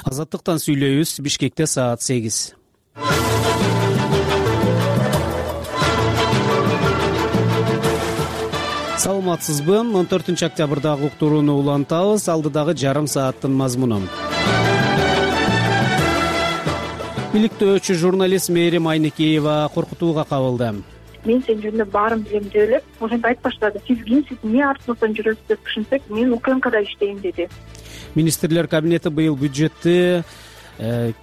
Азаттыктан сүйлөйбүз. Бишкекте саат 8. Саламатсызбы? 14 октябрдагы уктурууну улантабыз. Алдыдагы жарым сааттын мазмуну. Иликтөөчү журналист Мээрим Айнекеева коркутууга кабылды. Мен сен жөнүндө баарын билем деп элеп, ошентип айтып баштады. Сиз кимсиз, эмне артыңыздан жүрөсүз деп түшүнсөк, мен УКМКда иштейм деди. Министрлер кабинети быйыл бюджетти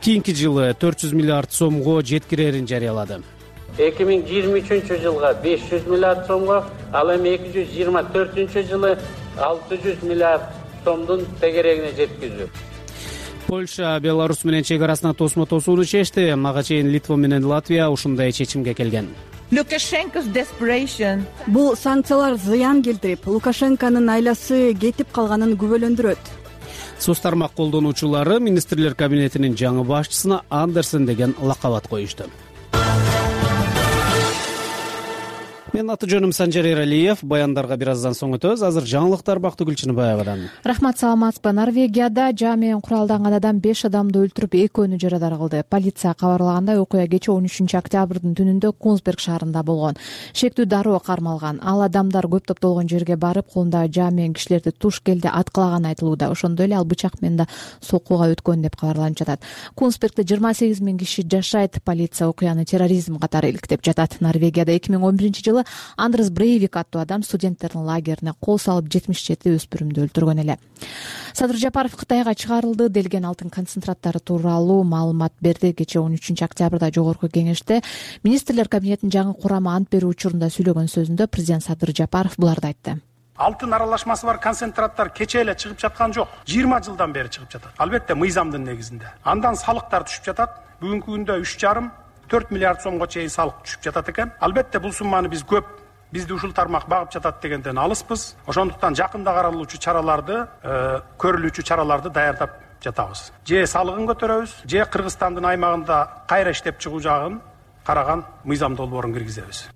кийинки жылы 400 миллиард сомго жеткирерин жарыялады. 2023-жылга 500 миллиард сомго, ал эми 2024-жылы 600 миллиард сомдун тегерегине жеткизүү. Польша Беларусь менен чек арасына тосмо-тосууну чечти. Мага чейин Литва менен Латвия ушундай чечимге келген. Бул санкциялар зыян келтирип, Лукашенконун айласы кетип калганын күбөлөндүрөт. Соц тармак колдонуучулары Министрлер кабинетинин жаңы башчысына Андерсен деген лакап коюшту. Мен аты жөнүм Санжар Эралиев. Баяндарга бир аздан соң өтөбүз. Азыр жаңылыктар Бактыгүл Чыныбаевадан. Рахмат, саламатсызбы. Норвегияда жаа менен куралданган адам 5 адамды өлтүрүп, 2 жарадар кылды. Полиция кабарлагандай, окуя кечээ 13 октябрдын түнүндө Кунсберг шаарында болгон. Шектүү дароо кармалган. Ал адамдар көп топтолгон жерге барып, колундагы жаа менен кишилерди туш келди аткылаган айтылууда. Ошондой эле ал бычак менен да сокууга өткөн деп кабарланып жатат. Кунсбергде 28 000 киши жашайт. Полиция окуяны терроризм катары иликтеп жатат. Норвегияда 2011-жылы Андрес Брейвик аттуу адам студенттердин лагерине кол салып 77 өспүрүмдү өлтүргөн эле. Садыр Жапаров Кытайга чыгарылды делген алтын концентраттары тууралуу маалымат берди. Кечээ 13 октябрда жогорку кеңеште Министрлер кабинетинин жаңы курамы ант берүү учурунда сүйлөгөн сөзүндө президент Садыр Жапаров буларды айтты. Алтын аралашмасы бар концентраттар кечээ эле чыгып жаткан жок. 20 жылдан бери чыгып жатат. Албетте мыйзамдын негизинде. Андан салыктар түшүп жатат. Бүгүнкү күндө 3,5-4 миллиард сомго чейин салык түшүп жатат экен. Албетте бул сумманы биз көп, бизди ушул тармак багып жатат дегенден алыспыз. Ошондуктан жакында каралуучу чараларды, көрүлүүчү чараларды даярдап жатабыз. Же салыгын көтөрөбүз, же Кыргызстандын аймагында кайра иштеп чыгуу жагын караган мыйзам долбоорун киргизебиз.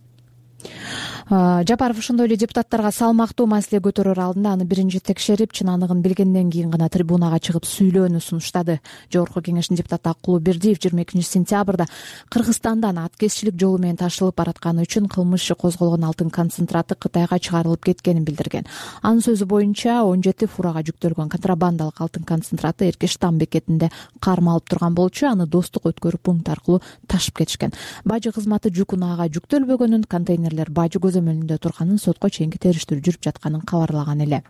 Жапаров ошондой эле депутаттарга салмактуу маселе көтөрөр алдында аны биринчи текшерип, чын аныгын билгенден кийин гана трибунага чыгып сүйлөөнү сунуштады. Жогорку кеңештин депутаты Акулбердиев 22-сентябрда Кыргызстандан аткезчилик жолу менен ташылып баратканы үчүн кылмыш иши козголгон алтын концентраты Кытайга чыгарылып кеткенин билдирген. Анын сөзү боюнча 17 фурага жүктөлгөн контрабандалык алтын концентраты Эркештам бекетинде кармалып турган болчу, аны достук өткөрүү пункт аркылуу ташып кетишкен. Бажы кызматы жүк унаага жүктөлбөгөнүн, контейнерлер бажы көзөмөлүндө турганын, сотко чейинки териштирүү жүрүп жатканын кабарлаган эле.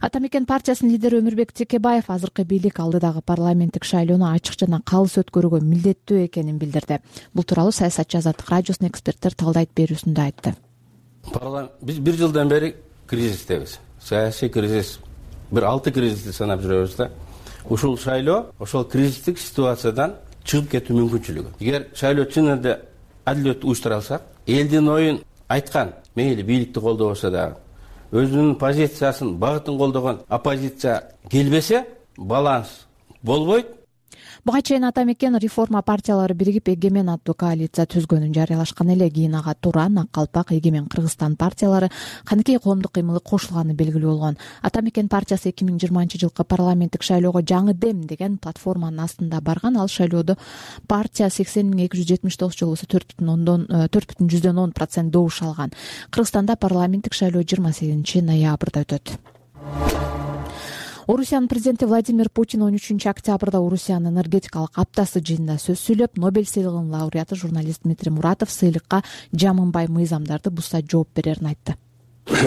Ата мекен партиясынын лидери Өмүрбек Текебаев азыркы бийлик алдыдагы парламенттик шайлоону ачык жана калыс өткөрүүгө милдеттүү экенин билдирди. Бул тууралуу Саясатчы Азаттык радиосунун эксперттер талдайт берүүсүндө айтты. Биз 1 жылдан бери кризистебиз. Саясий кризис, бир 6 кризисти санап жүрөбүз да. Ушул шайлоо ошол кризистик ситуациядан чыгып кетүү мүмкүнчүлүгү. Эгер шайлоо чын эле адилеттүү уюштуралса, элдин оюн айткан, мейли бийликти колдобосо дагы, өзүнүн позициясын, багытын колдогон оппозиция келбесе, баланс болбойт. Буга чейин Ата мекен реформа партиялары биригип Эгемен аттуу коалиция түзгөнүн жарыялашкан эле. Кийин ага Туран, Ак Калпак, Эгемен Кыргызстан партиялары, Каныкей коомдук кыймылы кошулганы белгилүү болгон. Ата мекен партиясы 2020-жылкы парламенттик шайлоого жаңы дем деген платформанын астында барган. Ал шайлоодо партия 80.279 жолу 4,10% добуш алган. Кыргызстанда парламенттик шайлоо 28 ноябрда өтөт. Орусиянын президенти Владимир Путин 13 октябрда Орусиянын энергетикалык аптасы жыйынында сөз сүйлөп, Нобель сыйлыгынын лауреаты журналист Дмитрий Муратов сыйлыкка жамынбай мыйзамдарды бузса жооп берерин айтты.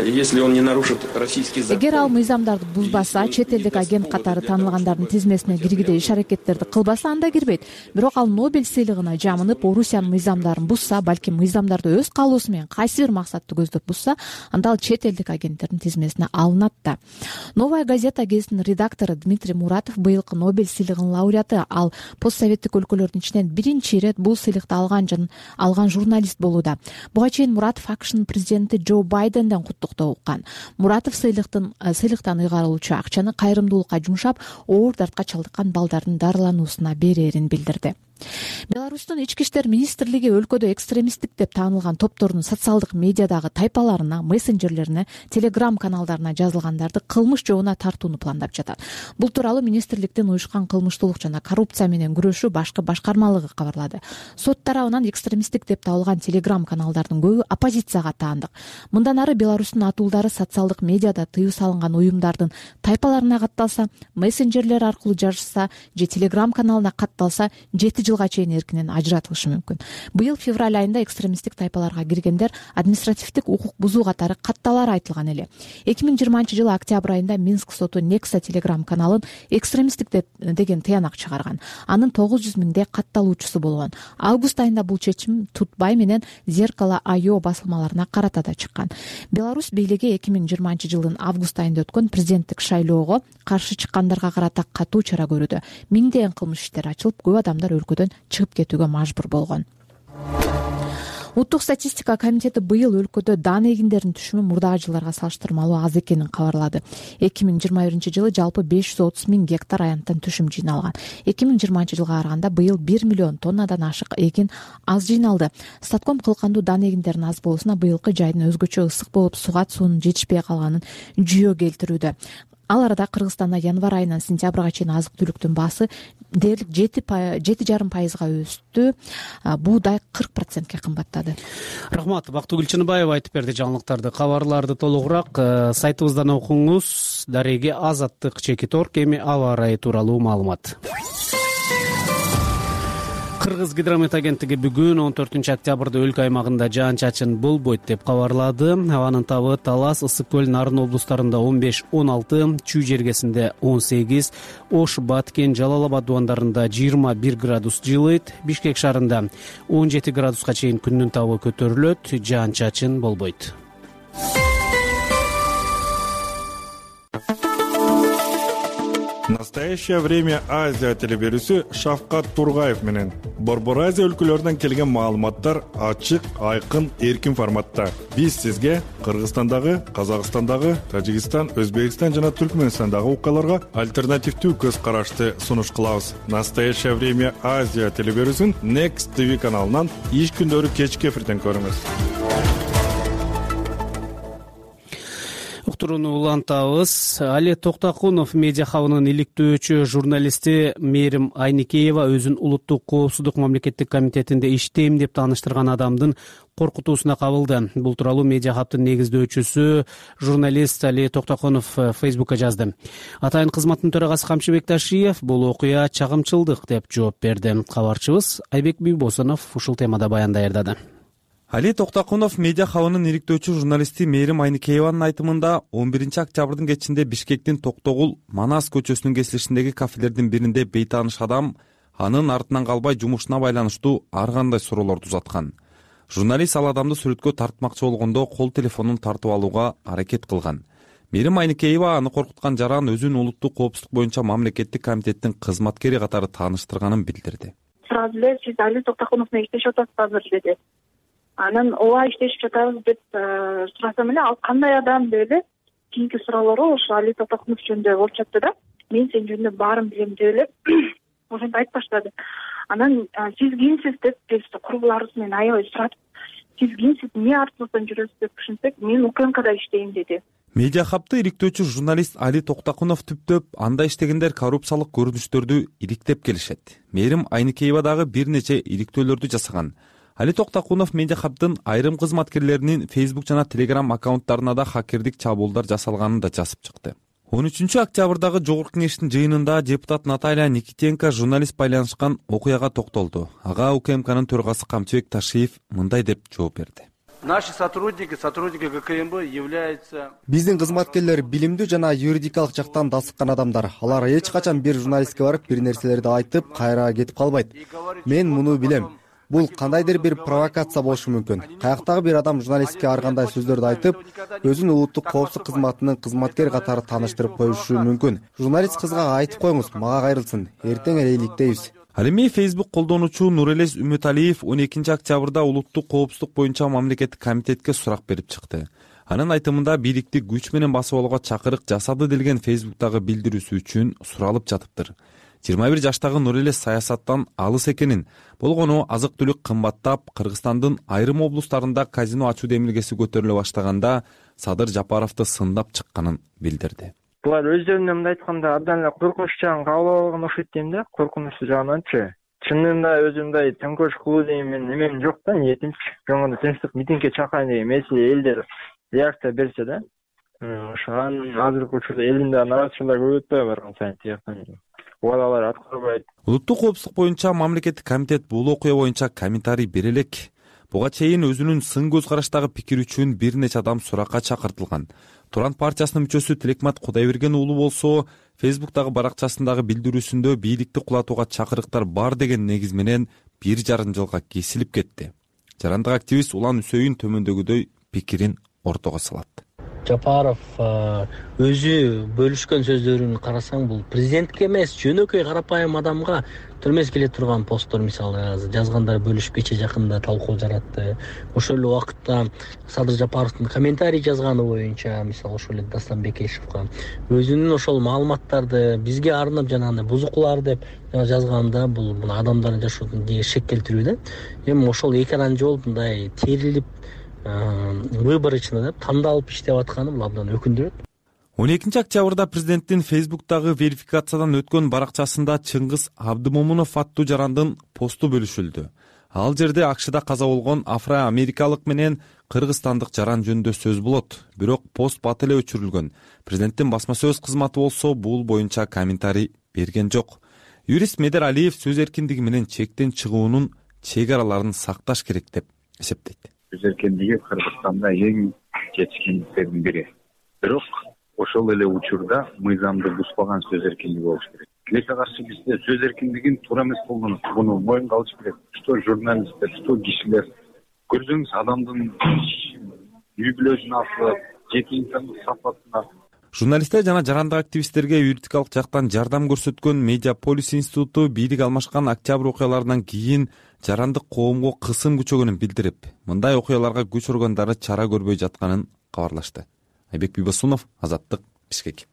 Если он не нарушит российский закон. Эгер ал мыйзамдарды бузбаса, чет элдик агент катары таанылгандардын тизмесине киргидей иш-аракеттерди кылбаса, анда кирбейт. Бирок ал Нобель сыйлыгына жамынып, Орусиянын мыйзамдарын бузса, балким мыйзамдарды өз каалоосу менен кайсы бир максатты көздөп бузса, анда ал чет элдик агенттердин тизмесине алынат да. Новая газета гезитинин редактору Дмитрий Муратов быйылкы Нобель сыйлыгынын лауреаты. Ал постсоветтик өлкөлөрдүн ичинен биринчи ирет бул сыйлыкты алган журналист болууда. Буга чейин Муратов АКШнын президенти Джо Байденден куттуктоо уккан. Муратов сыйлыктан ыйгарылуучу акчаны кайрымдуулукка жумшап, оор дартка чалдыккан балдардын дарылануусуна берерин билдирди. Беларустун ички иштер министрлиги өлкөдө экстремисттик деп таанылган топтордун социалдык медиадагы тайпаларына, мессенджерлерине, телеграм каналдарына жазылгандарды кылмыш жообуна тартууну пландап жатат. Бул тууралуу министрликтин уюшкан кылмыштуулук жана коррупция менен күрөшүү башкы башкармалыгы кабарлады. Сот тарабынан экстремисттик деп табылган телеграм каналдардын көбү оппозицияга таандык. Мындан ары Беларустун атуулдары социалдык медиада тыюу салынган уюмдардын тайпаларына катталса, мессенджерлер аркылуу жазышса же телеграм каналына катталса 7 жылга чейин эркинен ажыратылышы мүмкүн. Быйыл февраль айында экстремисттик тайпаларга киргендер административдик укук бузуу катары катталары айтылган эле. 2020-жылы октябрь айында Минск соту Некса телеграм каналын экстремисттик деген тыянак чыгарган. Анын 900 миңдей катталуучусу болгон. Август айында бул чечим Тутбай менен Зеркало.io басылмаларына карата да чыккан. Беларусь бийлиги 2020-жылдын август айында өткөн президенттик шайлоого каршы чыккандарга карата катуу чара көрүүдө. Миңдеген кылмыш иштери ачылып, көп адамдар өлкөдөн чыгып кетүүгө мажбур болгон. Улуттук статистика комитети быйыл өлкөдө дан эгиндердин түшүмү мурдагы жылдарга салыштырмалуу аз экенин кабарлады. 2021-жылы жалпы 530 миң гектар аянттан түшүм жыйналган. 2020-жылга караганда быйыл 1 миллион тоннадан ашык эгин аз жыйналды. Статком кылкандуу дан эгиндердин аз болуусуна быйылкы жайдын өзгөчө ысык болуп, суга суунун жетишпей калганын жүйө келтирүүдө. Ал арада Кыргызстанда январь айынан сентябрга чейин азык-түлүктүн баасы дээрлик 7,5% өстү. Буудай 40%ке кымбаттады. Рахмат. Бактыгүл Чыныбаева айтып берди жаңылыктарды. Кабарларды толугураак сайтыбыздан окуңуз. Дареге Азаттык чекиторг эми аба ырайы тууралуу маалымат. Кыргыз гидромет агенттиги бүгүн 14-октябрда өлкө аймагында жаан-чачын болбойт деп кабарлады. Абанын табы Талас, Ысык көл, Нарын облустарында 15-16, Чүй жергесинде 18, Ош, Баткен, Жалал Абад дубандарында 21 градус жылыйт. Бишкек шаарында 17 градуска чейин күндүн табы көтөрүлөт, жаан-чачын болбойт. Настоящее время Азия телеберүүсү Шавкат Тургаев менен Борбор Азия өлкөлөрүнөн келген маалыматтар ачык, айкын, эркин форматта. Биз сизге Кыргызстандагы, Казакстандагы, Тажикстан, Өзбекстан жана Түркмөнстандагы окуяларга альтернативдүү көз карашты сунуш кылабыз. Настоящее время Азия телеберүүсүн Next TV каналынан иш күндөрү кечки эфирден көрүңүз. Уктурууну улантабыз. Али Токтокунов медиа хабынын иликтөөчү журналисти Мээрим Айникеева өзүн улуттук коопсуздук мамлекеттик комитетинде иштейм деп тааныштырган адамдын коркутуусуна кабылды. Бул тууралуу медиа хабтын негиздөөчүсү журналист Али Токтокунов Фейсбукка жазды. Атайын кызматтын төрагасы Камчыбек Ташиев бул окуя чагымчылдык деп жооп берди. Кабарчыбыз Айбек Бийбосунов ушул темада баян даярдады. Али Токтокунов медиа хабынын иликтөөчү журналисти Мээрим Айникееванын айтымында 11-октябрдын кечинде Бишкектин Токтогул Манас көчөсүнүн кесилишиндеги кафелердин биринде бейтааныш адам анын артынан калбай жумушуна байланыштуу ар кандай суроолорду узаткан. Журналист ал адамды сүрөткө тартмакчы болгондо кол телефонун тартып алууга аракет кылган. Мээрим Айникеева аны коркуткан жаран өзүн улуттук коопсуздук боюнча мамлекеттик комитеттин кызматкери катары тааныштырганын билдирди. Сразу эле сиз Али Токтокунов менен иштешип атасыз азыр деди. Анан ооба иштешип жатабыз деп сурасам эле ал кандай адам деп эле кийинки суроолору ошо Али Токтокунов жөнүндө болуп жатты да. Мен сен жөнүндө баарын билем деп эле ошентип айтып баштады. Анан сиз кимсиз деп биз курбуларыбыз менен аябай суратып, сиз кимсиз, эмне артыңыздан жүрөсүз деп түшүнсөк, мен УКМКда иштейм деди. Медиа хабты иликтөөчү журналист Али Токтокунов түптөп анда иштегендер коррупциялык көрүнүштөрдү иликтеп келишет. Мээрим Айникеева дагы бир нече иликтөөлөрдү жасаган. Али Токтокунов медиа хабтын айрым кызматкерлеринин Facebook жана Telegram аккаунттарына да хакердик чабуулдар жасалганын да жазып чыкты. 13-октябрдагы жогорку кеңештин жыйынында депутат Наталья Никитенко журналист байланышкан окуяга токтолду. Ага УКМКнын төрагасы Камчыбек Ташиев мындай деп жооп берди. Наши сотрудники ГКМБ являются... Биздин кызматкерлер билимдүү жана юридикалык жактан дасыккан адамдар. Алар эч качан бир журналистке барып бир нерселерди айтып, кайра кетип калбайт. Мен муну билем. Бул кандайдыр бир провокация болушу мүмкүн. Каяктагы бир адам журналистке ар кандай сөздөрдү айтып, өзүн улуттук коопсуздук кызматынын кызматкери катары тааныштырып коюшу мүмкүн. Журналист кызга айтып коюңуз, мага кайрылсын. Эртең эле иликтейбиз. Ал эми Facebook колдонуучу Нурэлес Үмүталиев 12-октябрда улуттук коопсуздук боюнча мамлекеттик комитетке сурак берип чыкты. Анын айтымында бийликти күч менен басып алууга чакырык жасады делген Facebook'тагы билдирүүсү үчүн суралып жатыптыр. 21 жаштагы Нурэле саясаттан алыс экенин, болгону азык түлүк кымбаттап, Кыргызстандын айрым облустарында казино ачуу демилгеси көтөрүлө баштаганда Садыр Жапаровду сындап чыкканын билдирди. Булар өздөрүнөн мындай айтканда абдан эле коркунуч жагын кабыл алган окшойт дейм да, коркунучсу жагынанчы. Чынында өзүмдай төңкөрүш кылуу деген менин эмем жок да, ниетимчи. Жоңгондо тынчтык митингге чакырайын деген меселе элдер реакция берсе да. Ошон азыркы учурда элдин нараазычылыгы көбөйтпөй барган сайын тияктан убадалар аткарбайт. Улуттук коопсуздук боюнча мамлекеттик комитет бул окуя боюнча комментарий бере элек. Буга чейин өзүнүн сын көз караштагы пикир үчүн бир нече адам суракка чакыртылган. Туран партиясынын мүчөсү Тилекмат Кудайберген уулу болсо, Фейсбуктагы баракчасындагы билдирүүсүндө бийликти кулатууга чакырыктар бар деген негиз менен 1,5 жылга кесилип кетти. Жарандык активист Улан Үсөйүн төмөндөгүдөй пикирин ортого салат. Жапаров өзү бөлүшкөн сөздөрүн карасаң, бул президентке эмес, жөнөкөй карапайым адамга түрмөс келе турган посттор, мисалы жазгандар бөлүшүп кече жакында талкуу жаратты. Ошол эле убакытта Садыр Жапаровдун комментарий жазганы боюнча, мисалы ошол эле Дастан Бекешевге өзүнүн ошол маалыматтарды бизге арнап жанагындай бузукулар деп жазганда, бул адамдардын жашоосун шек келтирүү да. Эми ошол эки анан жол мындай терилип выборочно деп тандалып иштеп атканы бул абдан өкүндүрөт. 12 октябрда президенттин Фейсбуктагы верификациядан өткөн баракчасында Чыңгыз Абдымомунов аттуу жарандын посту бөлүшүлдү. Ал жерде АКШда каза болгон афро-америкалык менен кыргызстандык жаран жөнүндө сөз болот. Бирок пост бат эле өчүрүлгөн. Президенттин басма сөз кызматы болсо бул боюнча комментарий берген жок. Юрист Медер Алиев сөз эркиндиги менен чектен чыгуунун чек араларын сакташ керек деп эсептейт. Сөз эркиндиги Кыргызстанда эң жетишкендиктердин бири. Бирок ошол эле учурда мыйзамды бузбаган сөз эркиндиги болуш керек. Тилекке каршы бизде сөз эркиндигин туура эмес колдонуп, буну моюнга алыш керек. Что журналисттер, что кишилер. Көрсөңүз адамдын үй бүлөсүнө, жеке инсандык сапатына. Журналисттер жана жарандык активисттерге юридикалык жактан жардам көрсөткөн Медиаполис институту бийлик алмашкан октябрь окуяларынан кийин жарандык коомго кысым күчөгөнүн билдирип, мындай окуяларга күч органдары чара көрбөй жатканын кабарлашты. Айбек Бибосунов, Азаттык, Бишкек.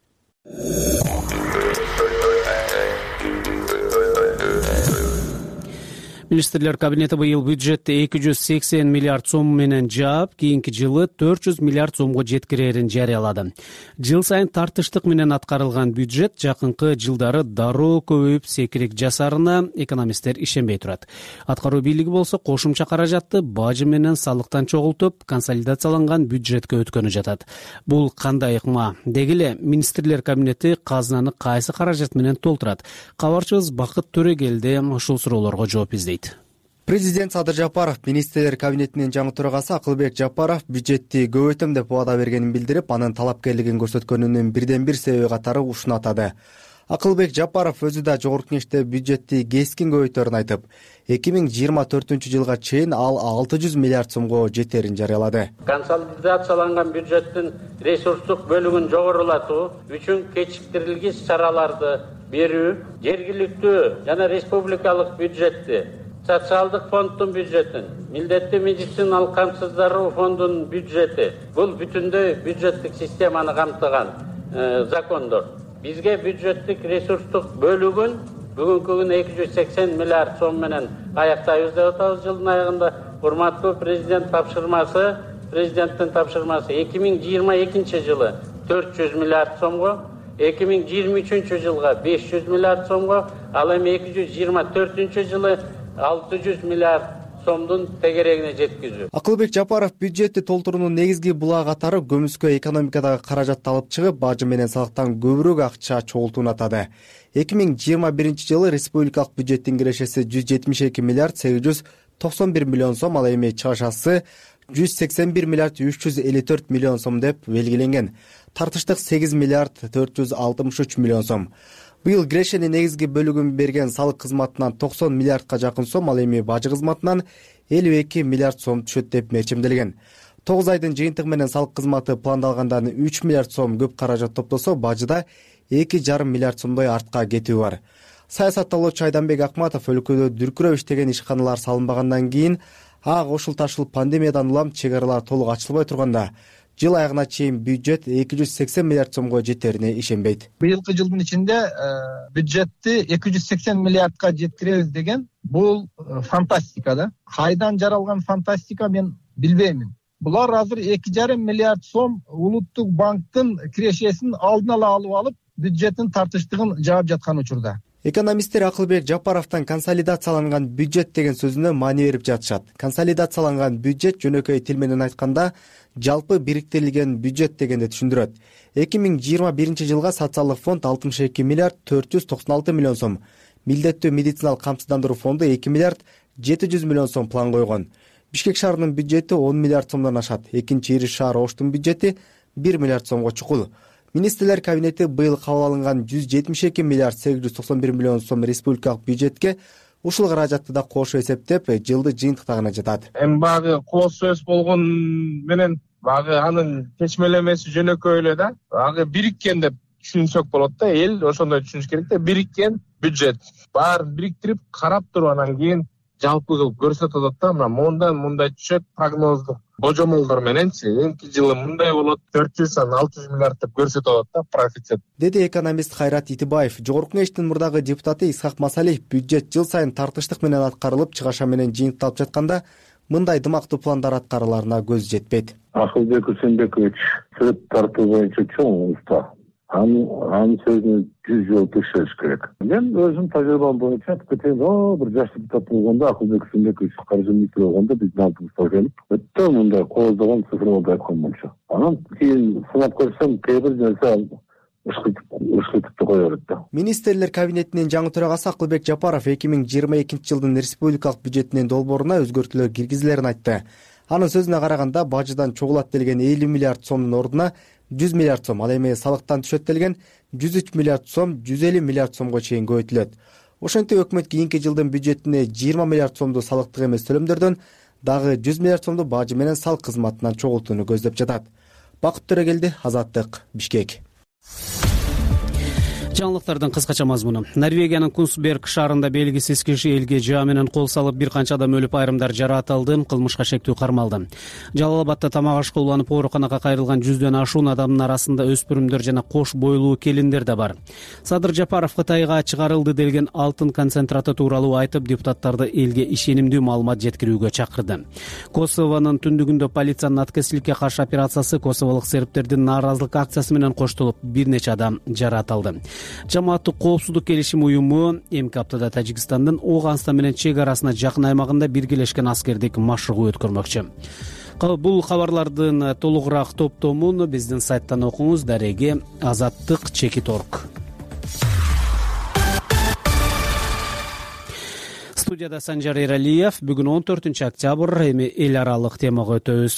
Министрлер кабинети быйыл бюджетти 280 миллиард сом менен жаап, кийинки жылы 400 миллиард сомго жеткирерин жарыялады. Жыл сайын тартыштык менен аткарылган бюджет жакынкы жылдары дароо көбөйүп секирек жасарына экономисттер ишенбей турат. Аткаруу бийлиги болсо кошумча каражатты бажы менен салыктан чогултуп, консолидацияланган бюджетке өткөнү жатат. Бул кандай ыкма? Деги эле министрлер кабинети казынаны кайсы каражат менен толтурат? Кабарчыбыз Бакыт Төрөгелди ушул суроолорго жооп издейт. Президент Садыр Жапаров министрлер кабинетинин жаңы төрагасы Акылбек Жапаров бюджетти көбөйтөм деп убада бергенин билдирип, анын талапкерлигин көрсөткөнүнүн бирден бир себеби катары ушуну атады. Акылбек Жапаров өзү да жогорку кеңеште бюджетти кескин көбөйтөрүн айтып, 2024 жылга чейин ал 600 миллиард сомго жетерин жарыялады. Консолидацияланган бюджеттин ресурстук бөлүгүн жогорулатуу үчүн кечиктирилгис чараларды берүү, жергиликтүү жана республикалык бюджетти, социалдык фонддун бюджетин, милдеттүү медициналык камсыздандыруу фондунун бюджети, бул бүтүндөй бюджеттик системаны камтыган закондор. Бизге бюджеттик ресурстук бөлүгүн бүгүнкү күнү 280 миллиард сом менен аяктайбыз деп атабыз жылдын аягында. Урматтуу президенттин тапшырмасы 2022 жылы 400 миллиард сомго, 2023 жылга 500 миллиард сомго, ал эми 2024 жылы 600 миллиард сомдун тегерегине жеткизүү. Акылбек Жапаров бюджетти толтуруунун негизги булагы катары көмүскө экономикадагы каражатты алып чыгып, бажы менен салыктан көбүрөөк акча чогултууну атады. 2021 жылы республикалык бюджеттин кирешеси 172 миллиард 891 миллион сом, ал эми чыгышасы 181 миллиард 354 миллион сом деп белгиленген. Тартыштык 8 миллиард 463 миллион сом. Быйыл кирешенин негизги бөлүгүн берген салык кызматынан 90 миллиардка жакын сом, ал эми бажы кызматынан 52 миллиард сом түшөт деп мерчимделген. 9 айдын жыйынтыгы менен салык кызматы пландалгандан 3 миллиард сом көп каражат топтосо, бажыда 2,5 миллиард сомдой артка кетүү бар. Саясаттоолочу Айданбек Акматов өлкөдө дүркүрөп иштеген ишканалар салынбагандан кийин ага кошул ташылып пандемиядан улам чек аралар толук ачылбай турганда жыл аягына чейин бюджет 280 миллиард сомго жетерине ишенбейт. Быйылкы жылдын ичинде бюджетти 280 миллиардка жеткиребиз деген бул фантастика да. Кайдан жаралган фантастика мен билбеймин. Булар азыр 2,5 миллиард сом улуттук банктын кирешесин алдын ала алып алып, бюджеттин тартыштыгын жаап жаткан учурда. Экономисттер Акылбек Жапаровдун консолидацияланган бюджет деген сөзүнө маани берип жатышат. Консолидацияланган бюджет жөнөкөй тил менен айтканда жалпы бириктирилген бюджет дегенди түшүндүрөт. 2021 жылга социалдык фонд 62 миллиард 496 миллион сом, милдеттүү медициналык камсыздандыруу фонду 2 миллиард 700 миллион сом план койгон. Бишкек шаарынын бюджети 10 миллиард сомдон ашат. Экинчи ири шаар Оштун бюджети 1 миллиард сомго чукул. Министрлер кабинети быйыл кабыл алынган 172 миллиард 891 миллион сом республикалык бюджетке ушул каражатты да кошуп эсептеп, жылды жыйынтыктагына жатат. Эми багы кооз сөз болгон менен багы анын чечмелемеси жөнөкөй эле да. Багы бириккен деп түшүнсөк болот да. Эл ошондой түшүнүш керек да. Бириккен бюджет. Баарын бириктирип, карап туруп анан кийин жалпы кылып көрсөтөт да. Мына мондан мындай түшөт прогноздук божомолдор мененчи эмки жылы мындай болот 400-600 миллиард деп көрсөтөт да профицит. Деди экономист Кайрат Итибаев. Жогорку кеңештин мурдагы депутаты Исхак Масалиев бюджет жыл сайын тартыштык менен аткарылып, чыгаша менен жыйынтыкталып жатканда мындай дымактуу пландар аткарыларына көз жетпейт. Акылбек Усенбекович сөт тартуу боюнча чоң уста. Анын сөзүнө 100 жолу текшериш керек. Мен өзүм тажрыйбам боюнча айтып кетейин, бир жаш депутат болгондо Акылбек Усенбекович каржы министри болгондо биздин алдыбызга келип, өтө мындай кооздогон цифрларды айткан болчу. Анан кийин сынап көрсөм, кээ бир нерсе ышкытып кое берет да. Министрлер кабинетинин жаңы төрагасы Акылбек Жапаров 2022 жылдын республикалык бюджетинин долбооруна өзгөртүүлөр киргизилерин айтты. Анын сөзүнө караганда бажыдан чогулат делген 50 миллиард сомдун ордуна 100 миллиард сом, ал эми салыктан түшөт делген 103 миллиард сом 150 миллиард сомго чейин көбөйтүлөт. Ошентип өкмөт кийинки жылдын бюджетине 20 миллиард сомду салыктык эмес төлөмдөрдөн дагы 100 миллиард сомду бажы менен салык кызматынан чогултууну көздөп жатат. Бакыт Төрөгелди, Азаттык, Бишкек. Жаңылыктардын кыскача мазмуну. Норвегиянын Кунсберг шаарында белгисиз киши элге жаа менен кол салып, бир канча адам өлүп, айрымдар жаратылды, кылмышка шектүү кармалды. Жалал Абадта тамак ашка уланып ооруканага кайрылган 100дөн ашуун адамдын арасында өспүрүмдөр жана кош бойлуу келиндер да бар. Садыр Жапаров Кытайга чыгарылды делген алтын концентраты тууралуу айтып, депутаттарды элге ишенимдүү маалымат жеткирүүгө чакырды. Косовонун түндүгүндө полициянын аткезчиликке каршы операциясы косоволук сербтердин нааразылык акциясы менен коштолуп, бир нече адам жаратылды. Жамааттык коопсуздук келишим уюму эмки аптада Тажикстандын Ооганстан менен чек арасына жакын аймагында биргелешкен аскердик машыгуу өткөрмөкчү. Бул кабарлардын толугураак топтомун биздин сайттан окуңуз. Дареги Азаттык.org. Студияда Санжар Эралиев. Бүгүн 14 октябрь, эми эл аралык темага өтөбүз.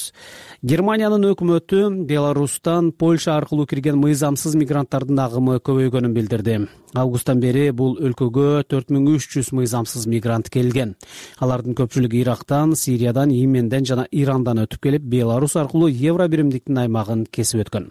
Германиянын өкмөтү Беларустан Польша аркылуу кирген мыйзамсыз мигранттардын агымы көбөйгөнүн билдирди. Августтан бери бул өлкөгө 4300 мыйзамсыз мигрант келген. Алардын көпчүлүгү Ирактан, Сириядан, Йеменден жана Ирандан өтүп келип, Беларус аркылуу Евро биримдиктин аймагын кесип өткөн.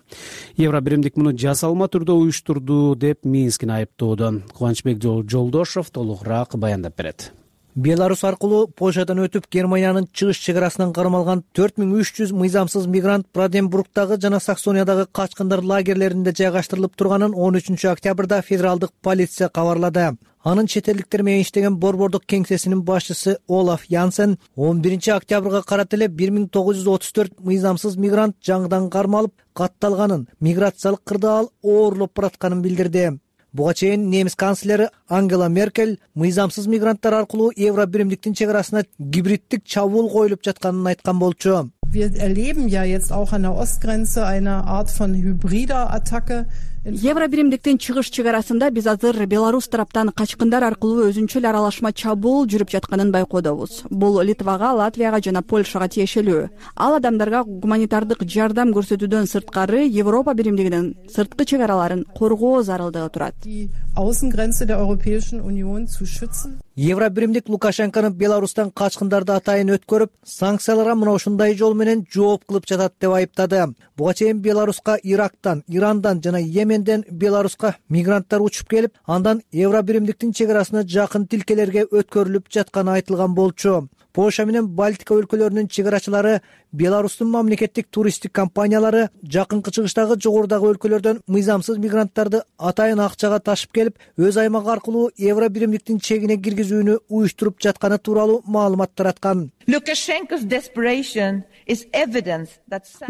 Евро биримдик муну жасалма түрдө уюштурду деп Минскини айыптоодо. Кубанычбек Жолдошов толугураак баяндап берет. Беларус аркылуу Польшадан өтүп Германиянын чыгыш чек арасынан кармалган 4300 мыйзамсыз мигрант Бранденбургтагы жана Саксониядагы качкындар лагерлеринде жайгаштырылып турганын 13 октябрда федералдык полиция кабарлады. Анын чет элдиктер менен иштеген борбордук кеңсесинин башчысы Олаф Янсен 11 октябрга карата эле 1934 мыйзамсыз мигрант жаңыдан кармалып катталганын, миграциялык кырдаал оорлоп баратканын билдирди. Буга чейин немис канцлери Ангела Меркель мыйзамсыз мигранттар аркылуу Евро биримдиктин чек арасына гибриддик чабуул коюлуп жатканын айткан болчу. Wir erleben ja jetzt auch an der Ostgrenze eine Art von hybrider Attacke. Евро биримдиктин чыгыш чек арасында биз азыр Беларус тараптан качкындар аркылуу өзүнчө эле аралашма чабуул жүрүп жатканын байкоодобуз. Бул Литвага, Латвияга жана Польшага тиешелүү. Ал адамдарга гуманитардык жардам көрсөтүүдөн сырткары Европа биримдигинин сырткы чек араларын коргоо зарылдыгы турат. Die Außengrenze der Europäischen Union zu schützen. Евро биримдик Лукашенкону Беларустан качкындарды атайын өткөрүп, санкцияларга мына ушундай жол менен жооп кылып жатат деп айыптады. Буга чейин Беларуска Ирактан, Ирандан жана Йеменден Беларуска мигранттар учуп келип, андан Евро биримдиктин чек арасына жакын тилкелерге өткөрүлүп жатканы айтылган болчу. Польша менен Балтика өлкөлөрүнүн чек арачылары, Беларустун мамлекеттик туристтик компаниялары жакынкы чыгыштагы жогорудагы өлкөлөрдөн мыйзамсыз мигранттарды атайын акчага ташып келип, өз аймагы аркылуу евро биримдиктин чегине киргизүүнү уюштуруп жатканы тууралуу маалымат тараткан.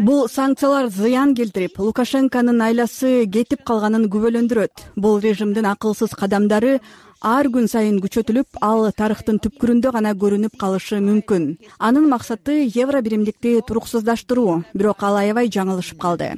Бул санкциялар зыян келтирип, Лукашенконун айласы кетип калганын күбөлөндүрөт. Бул режимдин акылсыз кадамдары ар күн сайын күчөтүлүп, ал тарыхтын түпкүрүндө гана көрүнүп калышы мүмкүн. Анын максаты евро биримдикти туруксуздаштыруу, бирок ал аябай жаңылышып калды.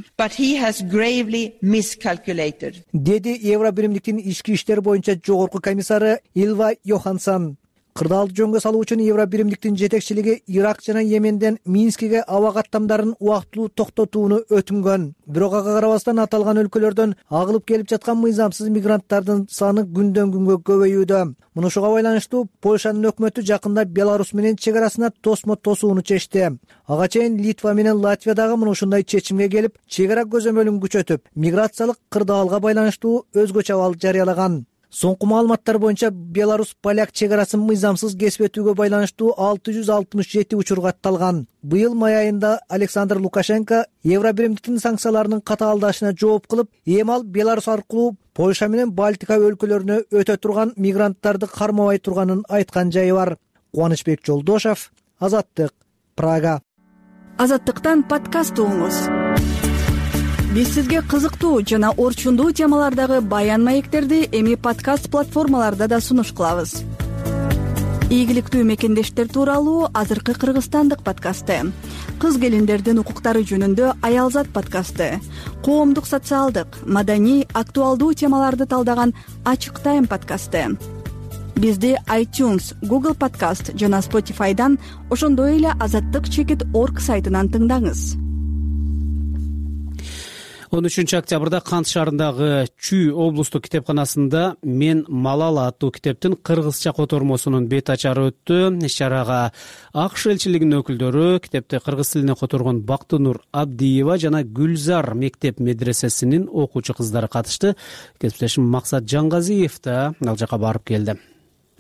Деди евро биримдиктин ички иштер боюнча жогорку комиссары Илва Йоханссон. Кырдаалды жөнгө салуу үчүн евро биримдиктин жетекчилиги Ирак жана Йеменден Минскиге аба каттамдарын убактылуу токтотууну өтүнгөн. Бирок ага карабастан аталган өлкөлөрдөн агылып келип жаткан мыйзамсыз мигранттардын саны күндөн күнгө көбөйүүдө. Мунушуга байланыштуу Польшанын өкмөтү жакында Беларусь менен чек арасына тосмо тосууну чечти. Ага чейин Литва менен Латвия дагы мына ушундай чечимге келип, чек ара көзөмөлүн күчөтүп, миграциялык кырдаалга байланыштуу өзгөчө абал жарыялаган. Соңку маалыматтар боюнча Беларусь-Поляк чек арасын мыйзамсыз кесип өтүүгө байланыштуу 667 учур катталган. Быйыл май айында Александр Лукашенко евро биримдиктин санкцияларынын катаалдашына жооп кылып, эми ал Беларусь аркылуу Польша менен Балтика өлкөлөрүнө өтө турган мигранттарды кармабай турганын айткан жайы бар. Кубанычбек Жолдошов, Азаттык, Прага. Азаттыктан подкаст угуңуз. Биз сизге кызыктуу жана орчундуу темалардагы баян маектерди эми подкаст платформаларда да сунуш кылабыз. Ийгиликтүү мекендештер тууралуу азыркы кыргызстандык подкасты, кыз келиндердин укуктары жөнүндө Аялзат подкасты, коомдук социалдык, маданий, актуалдуу темаларды талдаган Ачык Тайм подкасты. Бизди iTunes, Google Podcast жана Spotify'дан, ошондой эле azattik.org сайтынан тыңдаңыз. 13-октябрда Кант шаарындагы Чүй облустук китепканасында «Мен Малала» аттуу китептин кыргызча котормосунун бет ачары өттү. Иш-чарага АКШ элчилигинин өкүлдөрү, китепти кыргыз тилине которгон Бактынур Абдиева жана Гүлзар мектеп медресесинин окуучу кыздары катышты. Кесиптешим Максат Жангазиев да ал жака барып келди.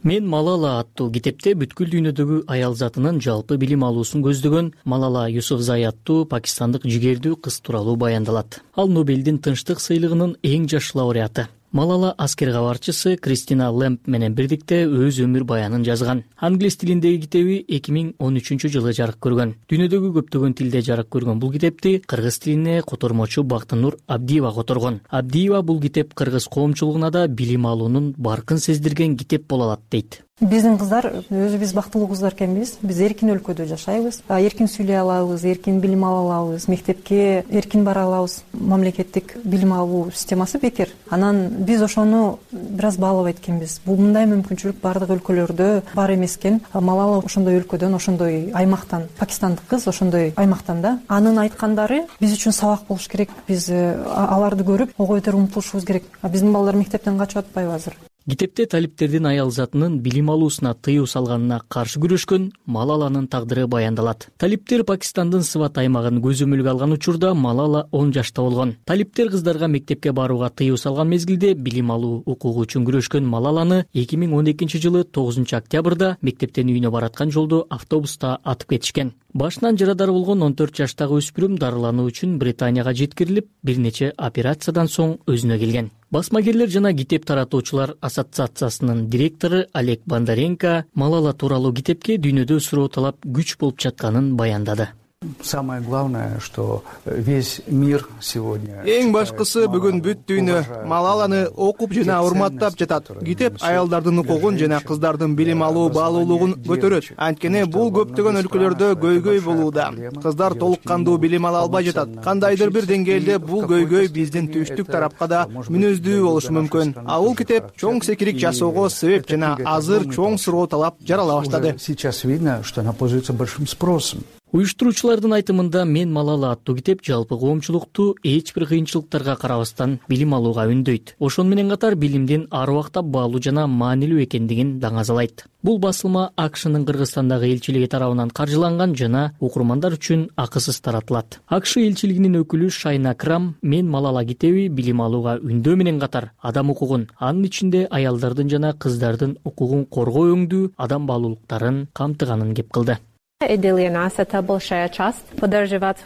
«Мен Малала» аттуу китепте бүткүл дүйнөдөгү аял затынын жалпы билим алуусун көздөгөн Малала Юсуфзай аттуу пакистандык жигердүү кыз тууралуу баяндалат. Ал Нобелдин тынчтык сыйлыгынын эң жаш лауреаты. Малала аскер кабарчысы Кристина Лэмп менен бирдикте өз өмүр баянын жазган. Англис тилиндеги китеби 2013-жылы жарык көргөн. Дүйнөдөгү көптөгөн тилде жарык көргөн бул китепти кыргыз тилине котормочу Бактынур Абдиева которгон. Абдиева бул китеп кыргыз коомчулугуна да билим алуунун баркын сездирген китеп боло алат дейт. Биздин кыздар, өзүбүз бактылуу кыздар экенбиз. Биз эркин өлкөдө жашайбыз. Эркин сүйлөй алабыз, эркин билим ала алабыз, мектепке эркин бара алабыз. Мамлекеттик билим алуу системасы бекер. Анан биз ошону бир аз баалабайт экенбиз. Бул мындай мүмкүнчүлүк бардык өлкөлөрдө бар эмес экен. Малала ошондой өлкөдөн, ошондой аймактан, пакистандык кыз ошондой аймактан да. Анын айткандары биз үчүн сабак болуш керек. Биз аларды көрүп, ого бетер умтулушубуз керек. Биздин балдар мектептен качып атпайбы азыр? Китепте талиптердин аял затынын билим алуусуна тыюу салганына каршы күрөшкөн Малаланын тагдыры баяндалат. Талиптер Пакистандын Сват аймагын көзөмөлгө алган учурда Малала 10 жашта болгон. Талиптер кыздарга мектепке барууга тыюу салган мезгилде билим алуу укугу үчүн күрөшкөн Малаланы 2012-жылы 9-октябрда мектептен үйүнө бараткан жолдо автобуста атып кетишкен. Башынан жарадар болгон 14 жаштагы өспүрүм дарылануу үчүн Британияга жеткирилип, бир нече операциядан соң өзүнө келген. Басмагерлер жана китеп таратуучулар ассоциациясынын директору Олег Бондаренко Малала тууралуу китепке дүйнөдө суроо талап күч болуп жатканын баяндады. Самое главное, что весь мир сегодня... Эң башкысы бүгүн бүт дүйнө Малаланы окуп жана урматтап жатат. Китеп аялдардын укугун жана кыздардын билим алуу баалуулугун көтөрөт. Анткени бул көптөгөн өлкөлөрдө көйгөй болууда. Кыздар толук кандуу билим ала албай жатат. Кандайдыр бир деңгээлде бул көйгөй биздин түштүк тарапка да мүнөздүү болушу мүмкүн. А бул китеп чоң секирик жасоого себеп жана азыр чоң суроо талап жарала баштады. Сейчас видно, что она пользуется большим спросом. Уюштуруучулардын айтымында «Мен Малала» аттуу китеп жалпы коомчулукту эч бир кыйынчылыктарга карабастан билим алууга үндөйт. Ошону менен катар билимдин ар убакта баалуу жана маанилүү экендигин даңазалайт. Бул басылма АКШнын Кыргызстандагы элчилиги тарабынан каржыланган жана окурмандар үчүн акысыз таратылат. АКШ элчилигинин өкүлү Шайна Крам «Мен Малала» китеби билим алууга үндөө менен катар адам укугун, анын ичинде аялдардын жана кыздардын укугун коргоо өңдүү адам баалуулуктарын камтыганын кеп кылды. И для нас это большая часть. Поддерживать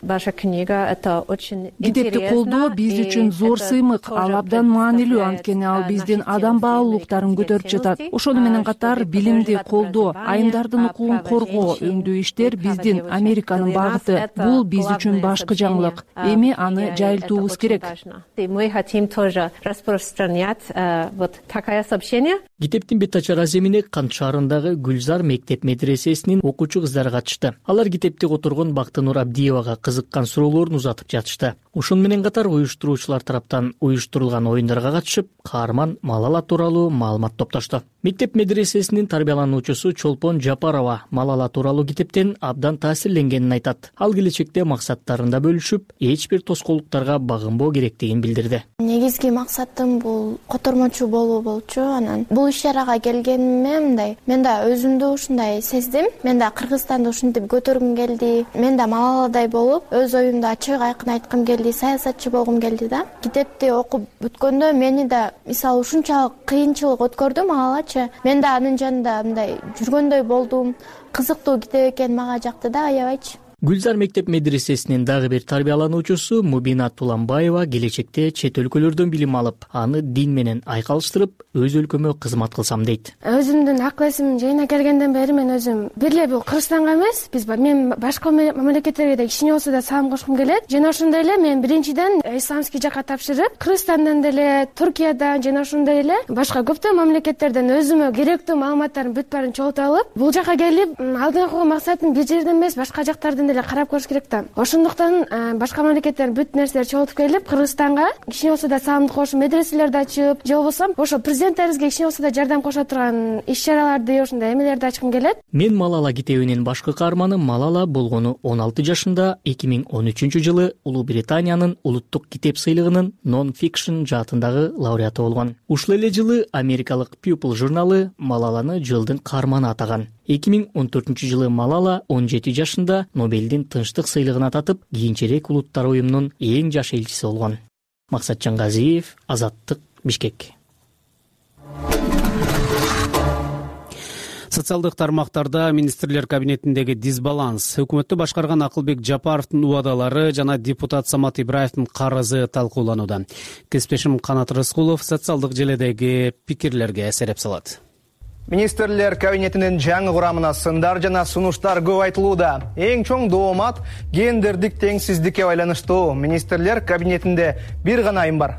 ваша книга это очень интересно. Китепти колдоо биз үчүн зор сыймык, ал абдан маанилүү, анткени ал биздин адам баалуулуктарын көтөрүп жатат. Ошону менен катар билимди колдоо, айымдардын укугун коргоо, өңдүү иштер биздин Американын багыты. Бул биз үчүн башкы жаңылык. Эми аны жайылтуубуз керек. Мы хотим тоже распространять вот такое сообщение. Китептин бет ачар аземине Кант шаарындагы Гүлзар мектеп медресесинин окуучу кыздары катышты. Алар китепти которгон Бактынур Абдиевага кызыккан суроолорун узатып жатышты. Ошону менен катар уюштуруучулар тараптан уюштурулган оюндарга катышып, каарман Малала тууралуу маалымат топтошту. Мектеп медресесинин тарбиялануучусу Чолпон Жапарова Малала тууралуу китептен абдан таасирленгенин айтат. Ал келечекте максаттарында бөлүшүп, эч бир тоскоолдуктарга багынбоо керектигин билдирди. Негизги максатым бул котормочу болуу болчу. Анан бул иш-чарага келгениме мындай, мен да өзүмдү ушундай сездим. Мен да Кыргызстанды ушинтип көтөргүм келди. Мен да Малаладай болуп, өз оюмду ачык айкын айткым келди, саясатчы болгум келди да. Китепти окуп бүткөндө мени да мисалы ушунчалык кыйынчылык өткөрдү Малалачы. Мен да анын жанында мындай жүргөндөй болдум. Кызыктуу китеп экен, мага жакты да, аябайчы. Гүлзар мектеп медресесинин дагы бир тарбиялануучусу Мубина Туланбаева келечекте чет өлкөлөрдөн билим алып, аны дин менен айкалыштырып, өз өлкөмө кызмат кылсам дейт. Өзүмдүн акыл эсим жайына келгенден бери мен өзүм бирле бул Кыргызстанга эмес, мен башка мамлекеттерге да кичине болсо да салым кошкум келет. Жана ошондой эле мен биринчиден исламский жакка тапшырып, Кыргызстандан деле, Туркиядан жана ошондой эле башка көптөгөн мамлекеттерден өзүмө керектүү маалыматтардын бүт баарын чогултуп алып, бул жака келип, алдыңкы максатым бир жерден эмес, башка жактардан деле карап көрүш керек да. Ошондуктан башка мамлекеттердин бүт нерселери чогултуп келип, Кыргызстанга кичине болсо да салымды кошуп, медреселерди ачып, же болбосо ошо президенттерибизге кичине болсо да жардам кошо турган иш-чараларды, ошондой эмелерди ачкым келет. Мен Малала китебинин башкы каарманы Малала болгону 16 жашында 2013-жылы Улуу Британиянын улуттук китеп сыйлыгынын non-fiction жаатындагы лауреаты болгон. Ушул эле жылы америкалык People журналы Малаланы жылдын каарманы атаган. 2014-жылы Малала 17 жашында Нобелдин тынчтык сыйлыгына татып, кийинчерээк улуттар уюмунун эң жаш элчиси болгон. Максатжан Газиев, Азаттык, Бишкек. Социалдык тармактарда министрлер кабинетиндеги дисбаланс, өкмөттү башкарган Акылбек Жапаровдун убадалары жана депутат Самат Ибраевдин карызы талкууланууда. Кесиптешим Канат Рыскулов социалдык желедеги пикирлерге эсереп салат. Министрлер кабинетинин жаңы курамына сындар жана сунуштар көп айтылууда. Эң чоң доомат гендердик теңсиздикке байланыштуу. Министрлер кабинетинде бир гана айым бар.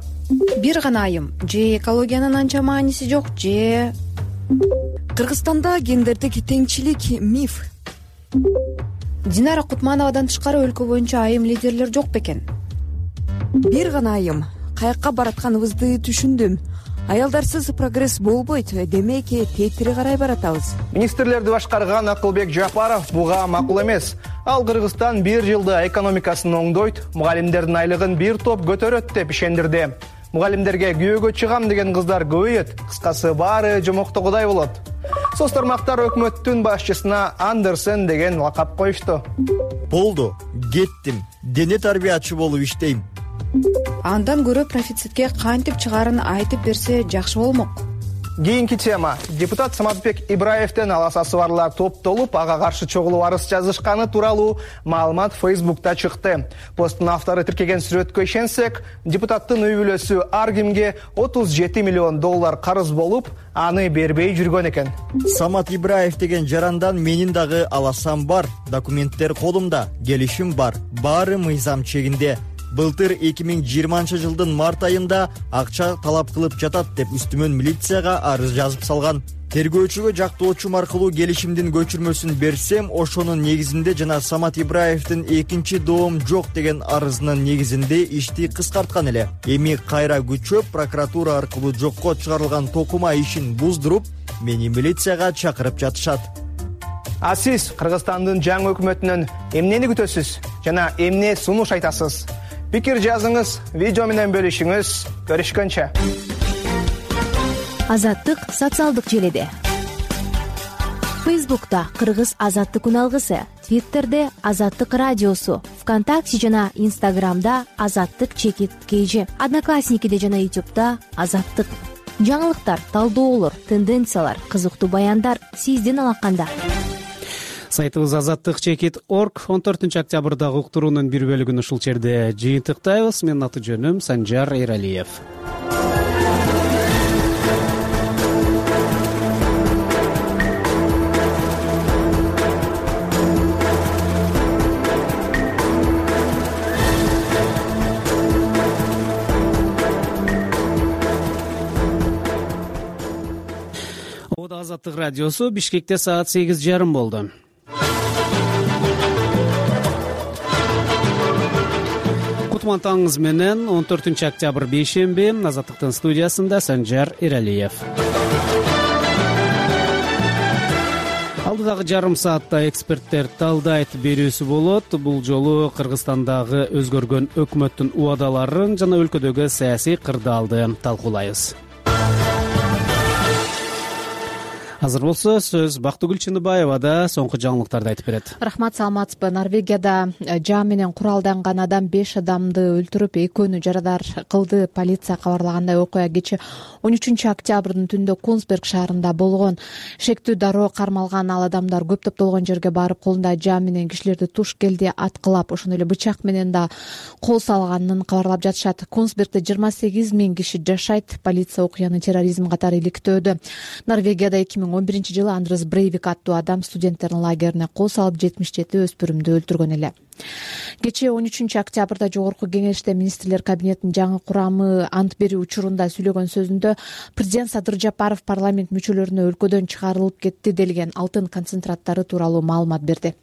Бир гана айым. Же экологиянын анча мааниси жок, же Кыргызстанда гендердик теңчилик миф. Динара Кутмановадан тышкары өлкө боюнча айым лидерлер жок бекен. Бир гана айым. Каякка баратканыбызды түшүндүм. Аялдарсыз прогресс болбойт, демек тетири карай баратабыз. Министрлерди башкарган Акылбек Жапаров буга макул эмес. Ал Кыргызстан бир жылда экономикасын оңдойт, мугалимдердин айлыгын бир топ көтөрөт деп ишендирди. Мугалимдерге күйөөгө чыгам деген кыздар көбөйөт. Кыскасы баары жомоктогудай болот. Соц тармактар өкмөттүн башчысына Андерсен деген лакап коюшту. Болду, кеттим. Дене тарбиячы болуп иштейм. Андан көрө профицитке кантип чыгарын айтып берсе жакшы болмок. Кийинки тема. Депутат Саматбек Ибраевден аласасы барлар топтолуп, ага каршы чогулуп арыз жазышканы тууралуу маалымат Facebook'та чыкты. Посттун автору тиркеген сүрөткө ишенсек, депутаттын үй бүлөсү ар кимге $37 миллион карыз болуп, аны бербей жүргөн экен. Самат Ибраев деген жарандан менин дагы аласам бар, документтер колумда, келишим бар, баары мыйзам чегинде. Былтыр 2020-жылдын март айында акча талап кылып жатат деп үстүмөн милицияга арыз жазып салган. Тергөөчүгө жактоочум аркылуу келишимдин көчүрмөсүн берсем, ошонун негизинде жана Самат Ибраевдин экинчи доом жок деген арызынын негизинде ишти кыскарткан эле. Эми кайра күчөп, прокуратура аркылуу жокко чыгарылган токума ишин буздуруп, мени милицияга чакырып жатышат. А сиз Кыргызстандын жаңы өкмөтүнөн эмнени күтөсүз жана эмне сунуш айтасыз? Пикир жазыңыз, видео менен бөлүшүңүз. Көрүшкөнчө. Азаттык социалдык желиде. Фейсбукта Кыргыз азаттык үналгысы, Твиттерде Азаттык радиосу, ВКонтакте жана Инстаграмда Азаттык чекит KG, Одноклассникиде жана Ютубта Азаттык. Жаңылыктар, талдоолор, тенденциялар, кызыктуу баяндар сиздин алаканда. Сайтыбыз azattik.org 14-октябрдагы уктуруунун бир бөлүгүн ушул жерде жыйынтыктайбыз. Менин аты жөнүм Санжар Эралиев. Азаттык радиосу. Бишкекте саат 8:30 болду. Кутман таңыңыз менен 14-октябрь бейшемби. Азаттыктын студиясында Санжар Эралиев. Алдыдагы жарым саатта эксперттер талдайт берүүсү болот. Бул жолу Кыргызстандагы өзгөргөн өкмөттүн убадаларын жана өлкөдөгү саясий кырдаалды талкуулайбыз. Азыр болсо сөз Бактыгүл Чыныбаевада соңку жаңылыктарды айтып берет. Рахмат, саламатсызбы. Норвегияда жаа менен куралданган адам 5 адамды өлтүрүп, экөөнү жарадар кылды. Полиция кабарлагандай, окуя кечээ 13-октябрдын түндө Консберг шаарында болгон. Шектүү дароо кармалган ал адамдар көп топтолгон жерге барып, колунда жаа менен кишилерди туш келди аткылап, ошондой эле бычак менен да кол салганын кабарлап жатышат. Консбергде 28 000 киши жашайт. Полиция окуяны терроризм катары иликтөөдө. Норвегияда 2011-жылы Андрес Брейвик аттуу адам студенттердин лагерине кол салып 77 өспүрүмдү өлтүргөн эле. Кечээ 13-октябрда Жогорку Кеңеште министрлер кабинетинин жаңы курамы ант берүү учурунда сүйлөгөн сөзүндө президент Садыр Жапаров парламент мүчөлөрүнө өлкөдөн чыгарылып кетти делген алтын концентраттары тууралуу маалымат берди.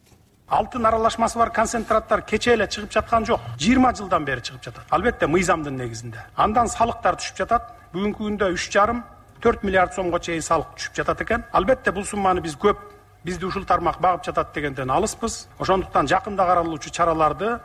Алтын аралашмасы бар концентраттар кечээ эле чыгып жаткан жок. 20 жылдан бери чыгып жатат. Албетте мыйзамдын негизинде. Андан салыктар түшүп жатат. Бүгүнкү күндө 3,5-4 миллиард сомго чейин салык түшүп жатат экен. Албетте бул сумманы биз көп, бизди ушул тармак багып жатат дегенден алыспыз. Ошондуктан жакында каралуучу чараларды,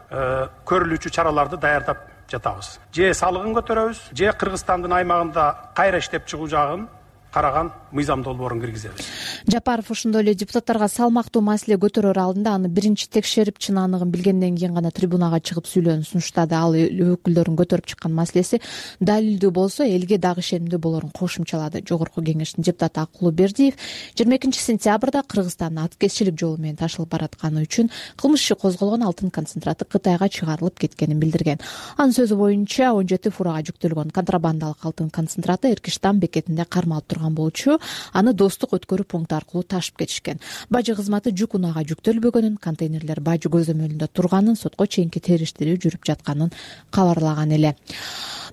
көрүлүүчү чараларды даярдап жатабыз. Же салыгын көтөрөбүз, же Кыргызстандын аймагында кайра иштеп чыгуу жагын караган мыйзам долбоорун киргизебиз. Жапаров ошондой эле депутаттарга салмактуу маселе көтөрөр алдында аны биринчи текшерип чын аныгын билгенден кийин гана трибунага чыгып сүйлөөнү сунуштады. Ал өкүлдөрүн көтөрүп чыккан маселеси далилдүү болсо элге дагы ишенимдүү болорун кошумчалады. Жогорку Кеңештин депутаты Акулуу Бердиев 22 сентябрда Кыргызстанда аткезчилик жолу менен ташылып баратканы үчүн кылмыш иши козголгон алтын концентраты Кытайга чыгарылып кеткенин билдирген. Анын сөзү боюнча 17 фурага жүктөлгөн контрабандалык алтын концентраты Эркиштан бекетинде кармалып турган болчу. Аны Достук өткөрүү пункту аркылуу ташып кетишкен. Бажы кызматы жүк унаага жүктөлбөгөнүн, контейнерлер бажы көзөмөлүндө турганын, сотко чейинки териштирүү жүрүп жатканын кабарлаган эле.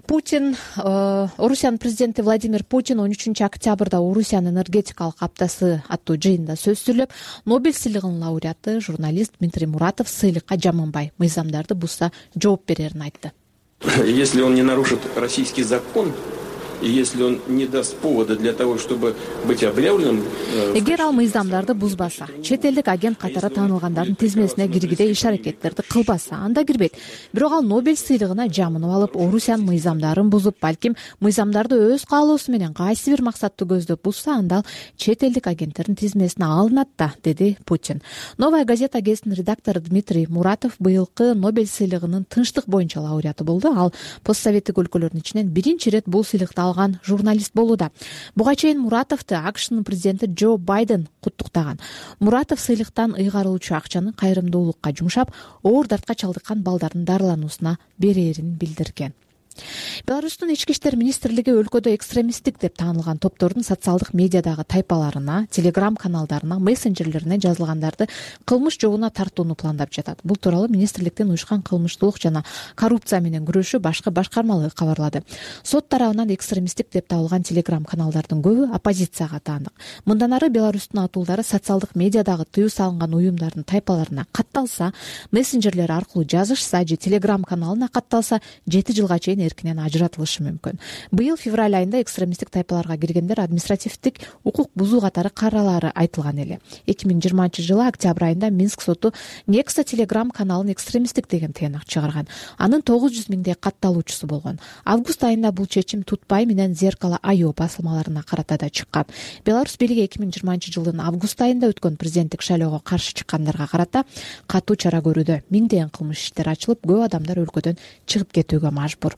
Орусиянын президенти Владимир Путин 13 октябрда Орусиянын энергетикалык аптасы аттуу жыйында сөз сүйлөп, Нобель сыйлыгынын лауреаты журналист Дмитрий Муратов сыйлыкка жаманбай, мыйзамдарды бузса жооп берерин айтты. Если он не нарушит российский закон, и если он не даст повода для того, чтобы быть объявленным... Эгер ал мыйзамдарды бузбаса, чет элдик агент катары таанылгандардын тизмесине киргиде иш-аракеттерди кылбаса, анда кирбейт. Бирок ал Нобель сыйлыгына жамынып алып, Орусиянын мыйзамдарын бузуп, балким мыйзамдарды өз каалоосу менен кайсы бир максатты көздөп бузса, анда ал чет элдик агенттердин тизмесине алынат да, деди Путин. Новая газета гезитинин редактору Дмитрий Муратов быйылкы Нобель сыйлыгынын тынчтык боюнча лауреаты болду. Ал постсоветтик өлкөлөрдүн ичинен биринчи ирет бул сыйлыкты алган журналист болууда. Буга чейин Муратовду АКШнын президенти Джо Байден куттуктаган. Муратов сыйлыктан ыйгарылуучу акчаны кайрымдуулукка жумшап, оор дартка чалдыккан балдардын дарылануусуна берерин билдирген. Беларустун ички иштер министрлиги өлкөдө экстремисттик деп таанылган топтордун социалдык медиадагы тайпаларына, телеграм каналдарына, мессенджерлерине жазылгандарды кылмыш жобуна тартууну пландап жатат. Бул тууралуу министрликтин уюшкан кылмыштуулук жана коррупция менен күрөшүү башкы башкармалыгы кабарлады. Сот тарабынан экстремисттик деп табылган телеграм каналдардын көбү оппозицияга таандык. Мындан ары Беларустун атуулдары социалдык медиадагы тыюу салынган уюмдардын тайпаларына катталса, мессенджерлер аркылуу жазышса же телеграм каналына катталса 7 жылга чейин менен эркинен ажыратылышы мүмкүн. Быйыл февраль айында экстремисттик тайпаларга киргендер административдик укук бузуу катары каралары айтылган эле. 2020-жылы октябрь айында Минск соту Некса Telegram каналын экстремисттик деген тыянак чыгарган. Анын 900 миңдей катталуучусу болгон. Август айында бул чечим Тутбай менен Зеркало Айо басылмаларына карата да чыккан. Беларусь бийлиги 2020-жылдын август айында өткөн президенттик шайлоого каршы чыккандарга карата катуу чара көрүүдө. Миңдеген кылмыш иштери ачылып, көп адамдар өлкөдөн чыгып кетүүгө мажбур.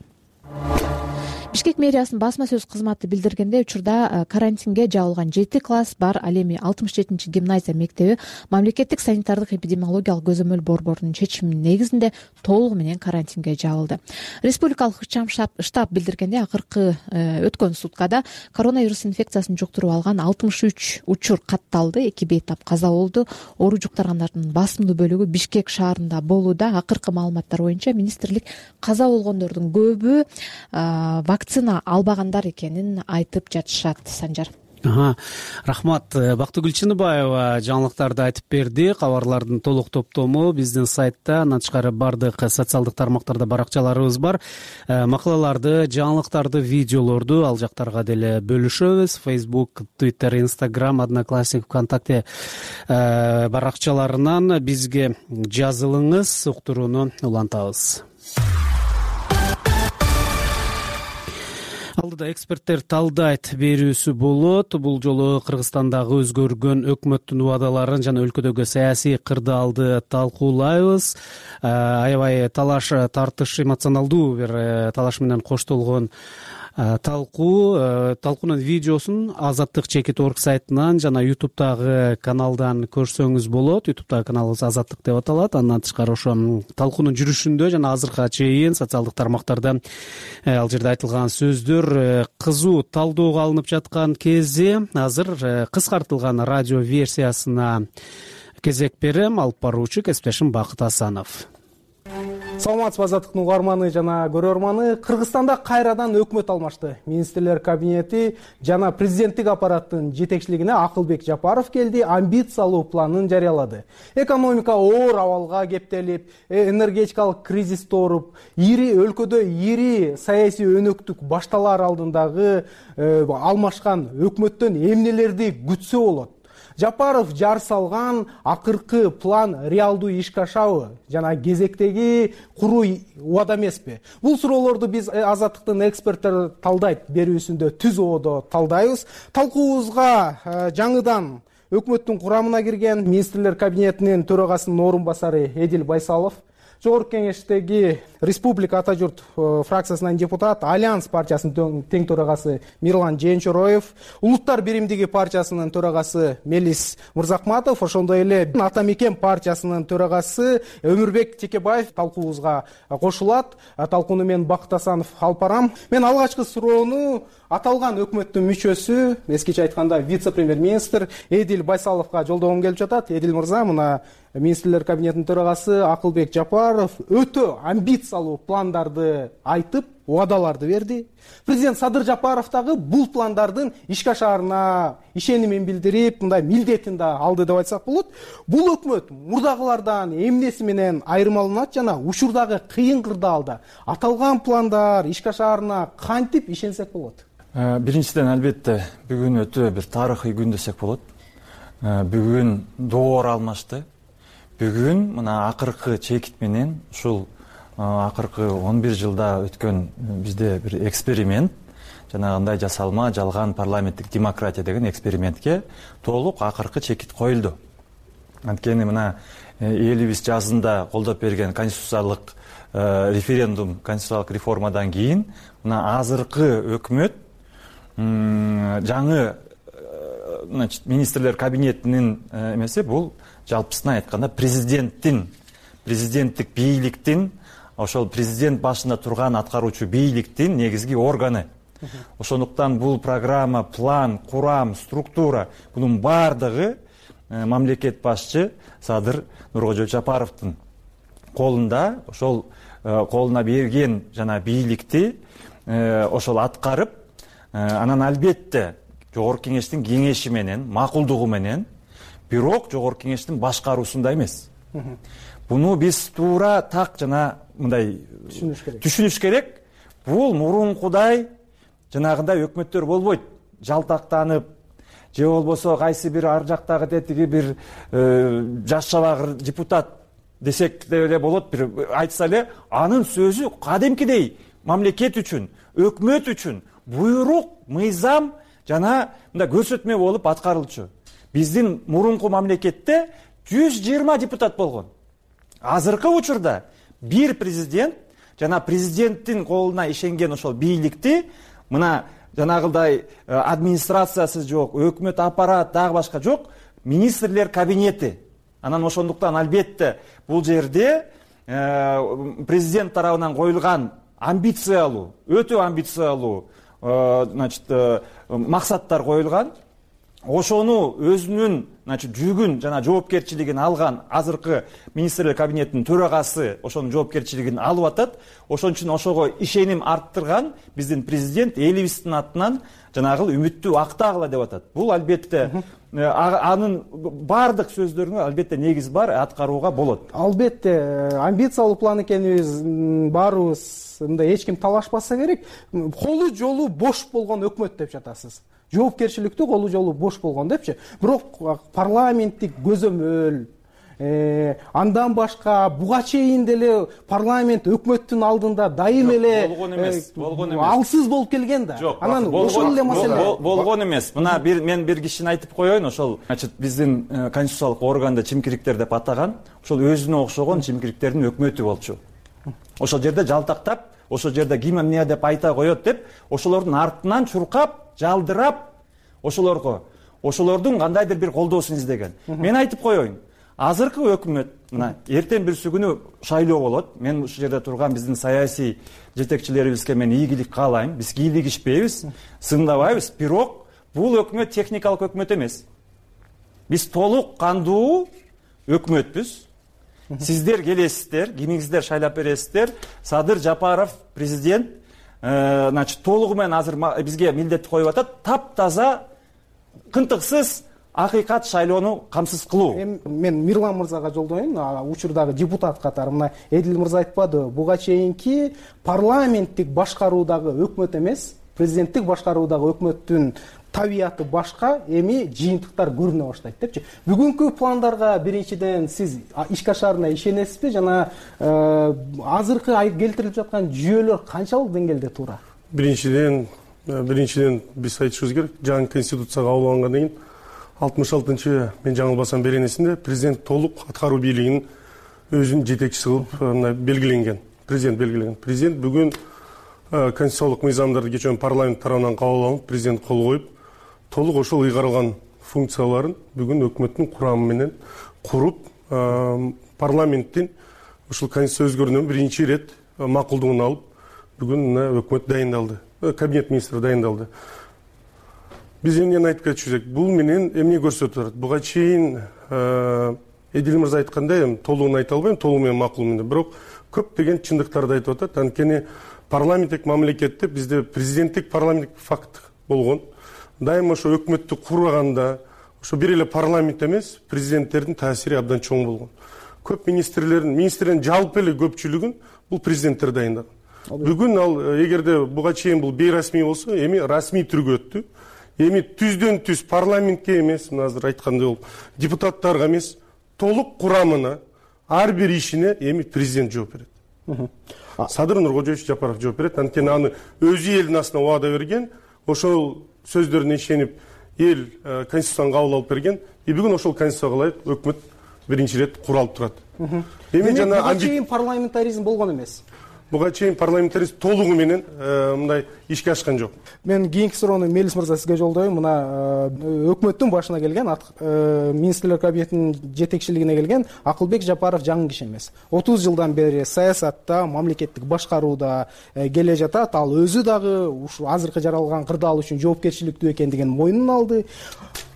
Бишкек мэриясынын басма сөз кызматы билдиргенде, учурда карантинге жабылган 7 класс бар, ал эми 67-гимназия мектеби мамлекеттик санитардык эпидемиологиялык көзөмөл борборунун чечиминин негизинде толугу менен карантинге жабылды. Республикалык ыкчам штаб билдиргенде, акыркы өткөн суткада коронавирус инфекциясын жуктуруп алган 63 учур катталды, 2 бейтап каза болду. Оору жуктургандардын басымдуу бөлүгү Бишкек шаарында болууда. Акыркы маалыматтар боюнча министрлик каза болгондордун көбү вакцина албагандар экенин айтып жатышат. Санжар. Рахмат. Бактыгүл Чыныбаева жаңылыктарды айтып берди. Кабарлардын толук топтому биздин сайтта, андан тышкары бардык социалдык тармактарда баракчаларыбыз бар. Макалаларды, жаңылыктарды, видеолорду ал жактарга деле бөлүшөбүз. Facebook, Twitter, Instagram, Одноклассник, ВКонтакте баракчаларынан бизге жазылыңыз, уктурууну улантабыз. Алдыда эксперттер талдайт берүүсү болот. Бул жолу Кыргызстандагы өзгөргөн өкмөттүн убадаларын жана өлкөдөгү саясий кырдаалды талкуулайбыз. Аябай талаш тартыш, эмоционалдуу бир талаш менен коштолгон талкуунун видеосун Азаттык Чекит.орг сайтынан жана YouTube'дагы каналдан көрсөңүз болот. YouTube'дагы каналыбыз Азаттык деп аталат. Андан тышкары ошо талкуунун жүрүшүндө жана азыркыга чейин социалдык тармактарда ал жерде айтылган сөздөр кызуу талдоого алынып жаткан кези. Азыр кыскартылган радио версиясына кезек берем. Алып баруучу кесиптешим Бакыт Асанов. Саламатсызбы Азаттыктын угарманы жана көрөрманы. Кыргызстанда кайрадан өкмөт алмашты. Министрлер кабинети жана президенттик аппараттын жетекчилигине Акылбек Жапаров келди, амбициялуу планын жарыялады. Экономика оор абалга кептелип, энергетикалык кризис тооруп, өлкөдө ири саясий өнөктүк башталар алдындагы алмашкан өкмөттөн эмнелерди күтсө болот? Жапаров жар салган акыркы план реалдуу ишке ашабы жана кезектеги куруу убада эмеспи? Бул суроолорду биз Азаттыктын эксперттери талдайт берүүсүндө түз ободо талдайбыз. Талкуубузга жаңыдан өкмөттүн курамына кирген министрлер кабинетинин төрагасынын орун басары Эдил Байсалов, Жогорку Кеңештеги Республика Ата журт фракциясынан депутат, Альянс партиясынын тең төрагасы Мирлан Жээнчороев, Улуттар биримдиги партиясынын төрагасы Мелис Мырзакматов, ошондой эле Ата Мекен партиясынын төрагасы Өмүрбек Текебаев талкуубузга кошулат. Талкууну мен Бакыт Асанов алып барам. Мен алгачкы суроону аталган өкмөттүн мүчөсү, эскиче айтканда вице-премьер-министр Эдил Байсаловго жолдогум келип жатат. Эдил мырза, мына министрлер кабинетинин төрагасы Акылбек Жапаров өтө амбициялуу пландарды айтып, убадаларды берди. Президент Садыр Жапаров дагы бул пландардын ишке ашаарына ишенимин билдирип, мындай милдетин да алды деп айтсак болот. Бул өкмөт мурдагылардан эмнеси менен айырмаланат жана учурдагы кыйын кырдаалда аталган пландар ишке ашаарына кантип ишенсек болот? Биринчиден, албетте, бүгүн өтө бир тарыхый күн десек болот. Бүгүн доор алмашты. Бүгүн мына акыркы чекит менен ушул акыркы 11 жылда өткөн бизде бир эксперимент, жанагындай жасалма жалган парламенттик демократия деген экспериментке толук акыркы чекит коюлду. Анткени мына элибиз жазында колдоп берген конституциялык референдум, конституциялык реформадан кийин мына азыркы өкмөт жаңы министрлер кабинетинин эмеси бул жалпысына айтканда президенттик бийликтин, ошол президент башында турган аткаруучу бийликтин негизги органы. Ошондуктан бул программа, план, курам, структура бунун бардыгы мамлекет башчы Садыр Нуркожоевич Жапаровдун колунда. Ошол колуна берген жана бийликти ошол аткарып, анан албетте Жогорку Кеңештин кеңеши менен, макулдугу менен, бирок Жогорку Кеңештин башкаруусунда эмес. Буну биз туура так жана мындай түшүнүш керек. бул мурункудай жанагындай өкмөттөр болбойт. Жалтактанып же болбосо кайсы бир ар жактагы тетиги бир жаш чабагыр депутат десек деле болот, бир айтса эле анын сөзү кадимкидей мамлекет үчүн, өкмөт үчүн буйрук, мыйзам жана мындай көрсөтмө болуп аткарылчу. Биздин мурунку мамлекетте 120 депутат болгон. Азыркы учурда бир президент жана президенттин колуна ишенген ошол бийликти мына жанагылдай администрациясы жок, өкмөт аппарат дагы башка жок, министрлер кабинети. Анан ошондуктан албетте бул жерде президент тарабынан коюлган амбициялуу, өтө амбициялуу максаттар коюлган. Ошону өзүнүн жүгүн жана жоопкерчилигин алган азыркы министрлер кабинетинин төрагасы ошонун жоопкерчилигин алып атат. Ошон үчүн ошого ишеним арттырган биздин президент элибиздин атынан жанагыл үмүттү актагыла деп атат. Бул албетте анын бардык сөздөрүнө албетте негиз бар, аткарууга болот. Албетте амбициялуу план экенин баарыбыз мындай эч ким талашпаса керек. Колу жолу бош болгон өкмөт деп жатасыз. Жоопкерчиликтүү колу жолу бош болгон депчи. Бирок парламенттик көзөмөл, андан башка буга чейин деле парламент өкмөттүн алдында дайым эле болгон эмес. Алсыз болуп келген да. Анан ошол эле маселе болгон эмес. Мына мен бир кишини айтып коеюн, ошол биздин конституциялык органды чимкириктер деп атаган, ошол өзүнө окшогон чимкириктердин өкмөтү болчу. Ошол жерде жалтактап, ошол жерде ким эмне деп айта коет деп, ошолордун артынан чуркап, жалдырап, ошолордун кандайдыр бир колдоосун издеген. Мен айтып коеюн, азыркы өкмөт мына эртең бирсү күнү шайлоо болот. Мен ушул жерде турган биздин саясий жетекчилерибизге мен ийгилик каалайм. Биз кийлигишпейбиз, сындабайбыз. Бирок бул өкмөт техникалык өкмөт эмес. Биз толук кандуу өкмөтпүз. Сиздер келесиздер, кимиңиздер шайлап бересиздер. Садыр Жапаров президент толугу менен азыр бизге милдет коюп атат, таптаза, кынтыксыз акыйкат шайлоону камсыз кылуу. Мен Мирлан мырзага жолдоюн, учурдагы депутат катары. Мына Эдил мырза айтпады, буга чейинки парламенттик башкаруудагы өкмөт эмес, президенттик башкаруудагы өкмөттүн табияты башка, эми жыйынтыктар көрүнө баштайт депчи. Бүгүнкү пландарга биринчиден сиз ишке ашарына ишенесизби жана азыркы келтирилип жаткан жүйөлөр канчалык деңгээлде туура? Биринчиден биз айтышыбыз керек, жаңы конституцияга кабыл алынгандан кийин 66-чы мен жаңылбасам беренесинде президент толук аткаруу бийлигинин өзүнүн жетекчиси кылып белгиленген. Президент белгилеген. Президент бүгүн конституциялык мыйзамдарды кечээ парламент тарабынан кабыл алынып, президент кол коюп, толук ошол ыйгарылган функцияларын бүгүн өкмөттүн курамы менен куруп, парламенттин ушул конституция өзгөрүүнөн биринчи ирет макулдугун алып, бүгүн өкмөт дайындалды, кабинет министри дайындалды. Биз эмнени айтып кетишибиз керек? Бул менен эмне көрсөтүп атат? Буга чейин Эдил мырза айткандай, толугун айта албайм, толугу менен макул менен, бирок көптөгөн чындыктарды айтып атат. Анткени парламенттик мамлекетте бизде президенттик парламенттик факт болгон. Дайыма ошо өкмөттү курганда, ошо бир эле парламент эмес, президенттердин таасири абдан чоң болгон. Көп министрлердин жалпы эле көпчүлүгүн бул президенттер дайындаган. Бүгүн ал эгерде буга чейин бул бейрасмий болсо, эми расмий түргө өттү. Эми түздөн түз парламентке эмес, мына азыр айткандай болуп, депутаттарга эмес, толук курамына, ар бир ишине эми президент жооп берет. Садыр Нуркожоевич Жапаров жооп берет. Анткени аны өзү элдин астына убада берген, ошол сөздөрүнө ишенип, эл конституцияны кабыл алып берген. Бүгүн ошол конституцияга ылайык өкмөт биринчи ирет куралып турат. Эми жана буга чейин парламентаризм болгон эмес. Буга чейин парламентаризм толугу менен мындай ишке ашкан жок. Мен кийинки суроону Мелис мырза сизге жолдойм. Мына өкмөттүн башына келген, министрлер кабинетинин жетекчилигине келген Акылбек Жапаров жаңы киши эмес. 30 жылдан бери саясатта, мамлекеттик башкарууда келе жатат. Ал өзү дагы ушу азыркы жаралган кырдаал үчүн жоопкерчиликтүү экендигин мойнуна алды.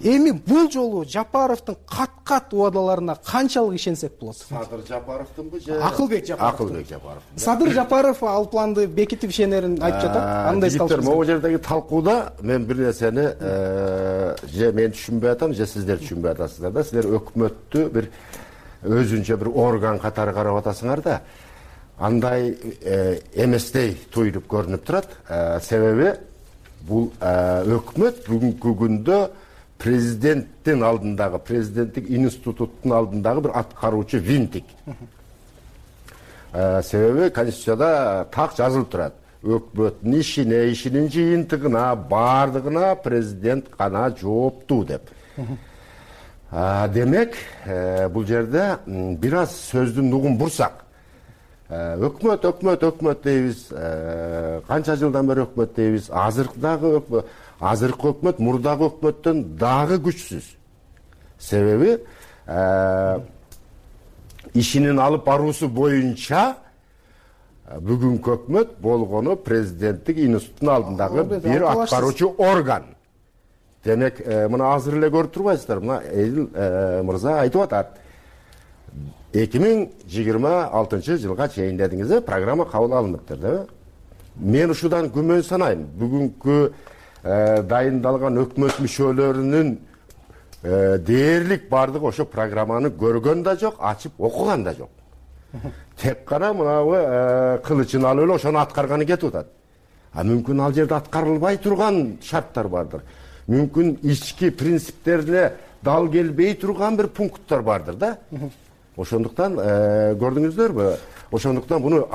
Эми бул жолу Жапаровдун кат-кат убадаларына канчалык ишенсек болот? Садыр Жапаровдунбу же Акылбек Жапаров? Акылбек Жапаров. Садыр Жапаров ал планды бекитип ишенерин айтып жатат. Андай талкуу. Могу жердеги талкууда мен бир нерсени же мен түшүнбөй атам, же сиздер түшүнбөй атасыздар да. Силер өкмөттү бир өзүнчө бир орган катары карап атасыңар да. андай эместей туюлуп көрүнүп турат. Себеби бул өкмөт бүгүнкү күндө президенттин алдындагы, президенттик институттун алдындагы бир аткаруучу винтик. Себеби Конституцияда так жазылып турат. Өкмөттүн ишинин жыйынтыгына, бардыгына президент гана жооптуу деп. Демек, бул жерде бир аз сөздүн нугун бурсак, өкмөт дейбиз, канча жылдан бери өкмөт дейбиз, азыркы өкмөт мурдагы өкмөттөн дагы күчсүз. Себеби ишинин алып баруусу боюнча бүгүнкү өкмөт болгону президенттик институттун алдындагы бир аткаруучу орган. Демек, мына азыр эле көрүп турбайсыздар, мына Эдил мырза айтып атат. 2026 жылга чейин дедиңиз, программа кабыл алыныптыр, да? Мен ушудан күмөн санайм. Бүгүнкү дайындалган өкмөт мүчөлөрүнүн дээрлик бардыгы ошо программаны көргөн да жок, ачып окуган да жок. Тек гана мынабы кылычын алып эле ошону аткарганы кетип атат. Мүмкүн ал жерде аткарылбай турган шарттар бардыр. Мүмкүн ички принциптерине дал келбей турган бир пункттар бардыр да. Ошондуктан көрдүңүздөрбү? Ошондуктан буну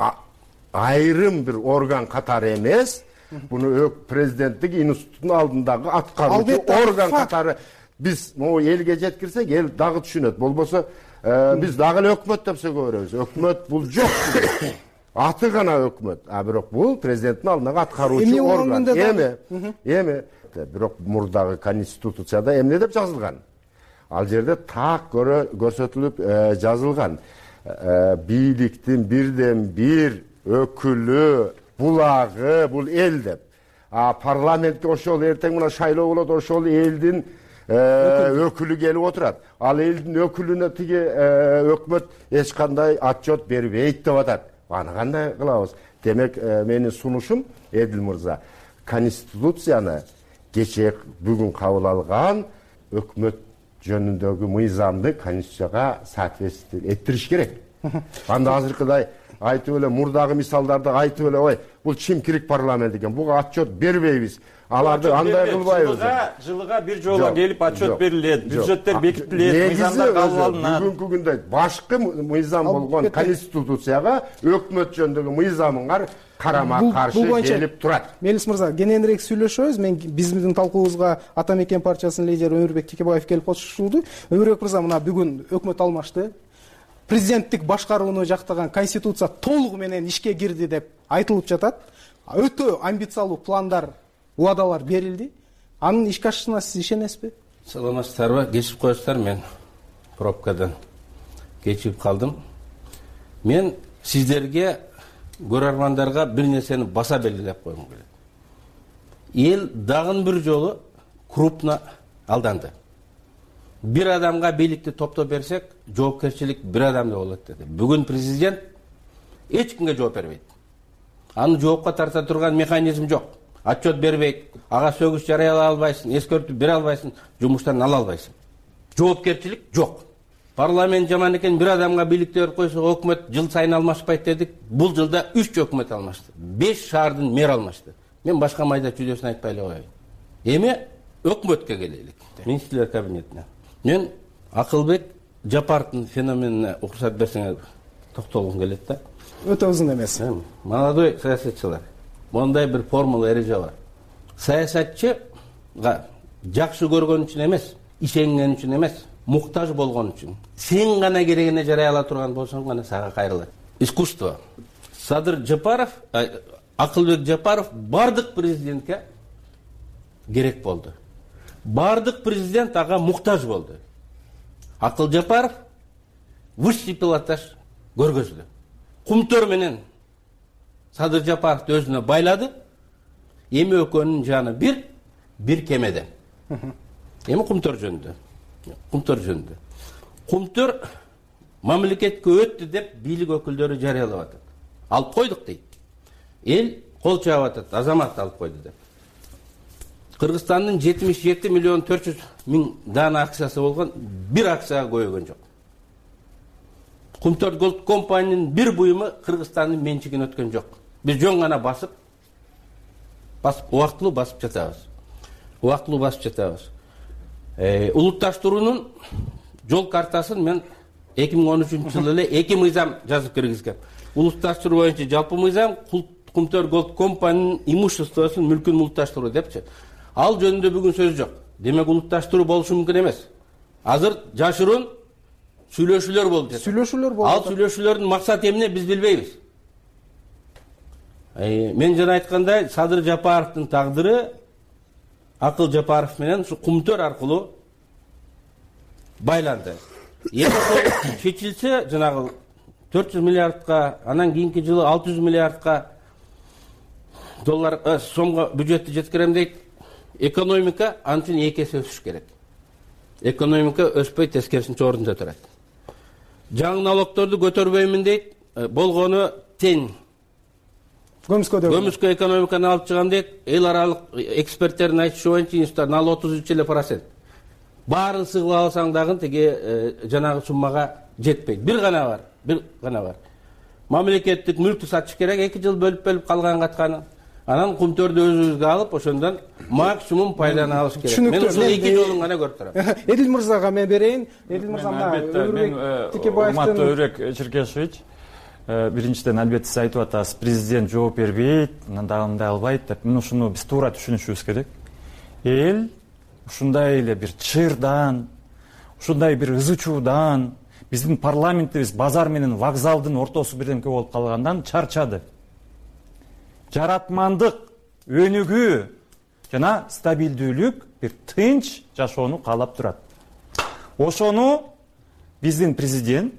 айрым бир орган катары эмес, буну президенттик институттун алдындагы аткаруучу орган катары биз могу элге жеткирсек, эл дагы түшүнөт. Болбосо биз дагы эле өкмөт деп сөйгө беребиз. Өкмөт бул жок. Аты гана өкмөт. Бирок бул президенттин алдындагы аткаруучу орган. Эми бирок мурдагы конституцияда эмне деп жазылган? Ал жерде так көрсөтүлүп жазылган. Бийликтин бирден бир өкүлү, булагы бул эл деп. Парламентке ошол эртең мына шайлоо болот, ошол элдин өкүлү келип отурат. Ал элдин өкүлүнө тиги өкмөт эч кандай отчет бербейт деп атат. Аны кандай кылабыз? Демек, менин сунушум, Эдил мырза, конституцияны кечээ бүгүн кабыл алган өкмөт жөнүндөгү мыйзамды конституцияга соответствие эттириш керек. Анда азыркыдай айтып эле мурдагы мисалдарды айтып эле, ой, бул чимкирик парламент экен, буга отчет бербейбиз. Аларды андай кылбайбыз. Жылыга бир жолу келип отчет берилет, бюджеттер бекитилет, мыйзамдар кабыл алынат. Бүгүнкү күндө башкы мыйзам болгон конституцияга өкмөт жөнүндөгү мыйзамыңар карама каршы келип турат. Мелис мырза, кененирээк сүйлөшөбүз. Биздин талкуубузга Ата Мекен партиясынын лидери Өмүрбек Текебаев келип кошулду. Өмүрбек мырза, мына бүгүн өкмөт алмашты. Президенттик башкарууну жактаган конституция толугу менен ишке кирди деп айтылып жатат. Өтө амбициялуу пландар, убадалар берилди. Анын ишке ашышына сиз ишенесизби? Саламатсыздарбы? Кечип коесуздар, мен пробкадан кечип калдым. Мен сиздерге, көрөрмандарга бир нерсени баса белгилеп койгум келет. Эл дагы бир жолу крупно алданды. Бир адамга бийликти топтоп берсек, жоопкерчилик бир адамда болот деди. Бүгүн президент эч кимге жооп бербейт. Аны жоопко тарта турган механизм жок. Отчет бербейт, ага сөгүш жарыялай албайсың, эскертүү бере албайсың, жумуштан ала албайсың. Жоопкерчилик жок. Парламент жаман экен, бир адамга бийликти берип койсо, өкмөт жыл сайын алмашпайт дедик. Бул жылда 3 өкмөт алмашты. 5 шаардын мэр алмашты. Мен башка майда чүйдөсүн айтпай эле коеюн. Эми өкмөткө келелик. Министрлер кабинетине. Мен Акылбек Жапаровдун феноменине уруксат берсеңер токтолгум келет да. Өтө узун эмес. Молодой саясатчылар. Мондай бир формула эреже бар. Саясатчыга жакшы көргөн үчүн эмес, ишенген үчүн эмес, муктаж болгон үчүн. Сен гана керегине жарай ала турган болсоң гана сага кайрылат. Искусство. Садыр Жапаров, Акылбек Жапаров бардык президентке керек болду. Бардык президент ага муктаж болду. Акыл Жапаров высший пилотаж көргөздү. Кумтөр менен Садыр Жапаровду өзүнө байлады. Эми экөөнүн жаны бир кемеде. Эми Кумтөр жөнүндө. Кумтөр мамлекетке өттү деп бийлик өкүлдөрү жарыялап атат. Алып койдук дейт. Эл кол чаап атат, азамат алып койду деп. Кыргызстандын 77 миллион 400 миң дана акциясы болгон, бир акцияга көйгөн жок. Кумтөр Голд компаниянын бир буюму Кыргызстандын менчигине өткөн жок. Биз жөн гана басып убактылуу басып жатабыз. Улутташтыруунун жол картасын мен 2013-жылы эле 2 мыйзам жазып киргизгем. Улутташтыруу боюнча жалпы мыйзам, Кумтөр Голд компаниянын имуществосун, мүлкүн улутташтыруу депчи. Ал жөнүндө бүгүн сөз жок. Демек улутташтыруу болушу мүмкүн эмес. Азыр жашыруун сүйлөшүүлөр болуп жатат. Ал сүйлөшүүлөрдүн максаты эмне биз билбейбиз. Мен жана айткандай, Садыр Жапаровдун тагдыры Акыл Жапаров менен ушу Кумтөр аркылуу байланды. Эгер чечилсе, жанагы 400 миллиардка, анан кийинки жылы 600 миллиардка доллар сомго бюджетти жеткирем дейт. Экономика анчын 2 эсе өсүш керек. Экономика өспөй, тескерисинче ордунда турат. Жаңы налогторду көтөрбөймүн дейт. Болгону тең. Көмүскө экономиканы алып чыгам дейт. Эл аралык эксперттердин айтышы боюнча налог 33%. Баарын сыгып алсаң дагы тиги жанагы суммага жетпейт. Бир гана бар. Мамлекеттик мүлктү сатыш керек, 2 жыл бөлүп калган катканы. Анан Кумтөрдү өзүбүзгө алып, ошондон максимум пайданы алыш керек. Мен ушул 2 жолун гана көрүп турам. Эдил мырзага мен берейин. Эдил мырза урматтуу Өрөк Черкешевич, биринчиден албетте сиз айтып атасыз, президент жооп бербейт, анан дагы мындай албайт деп. Мен ушуну биз туура түшүнүшүбүз керек. Эл ушундай эле бир чырдан, ушундай бир ызы чуудан, биздин парламентибиз базар менен вокзалдын ортосу бирдемке болуп калгандан чарчады. Жаратмандык, өнүгүү жана стабилдүүлүк, бир тынч жашоону каалап турат. Ошону биздин президент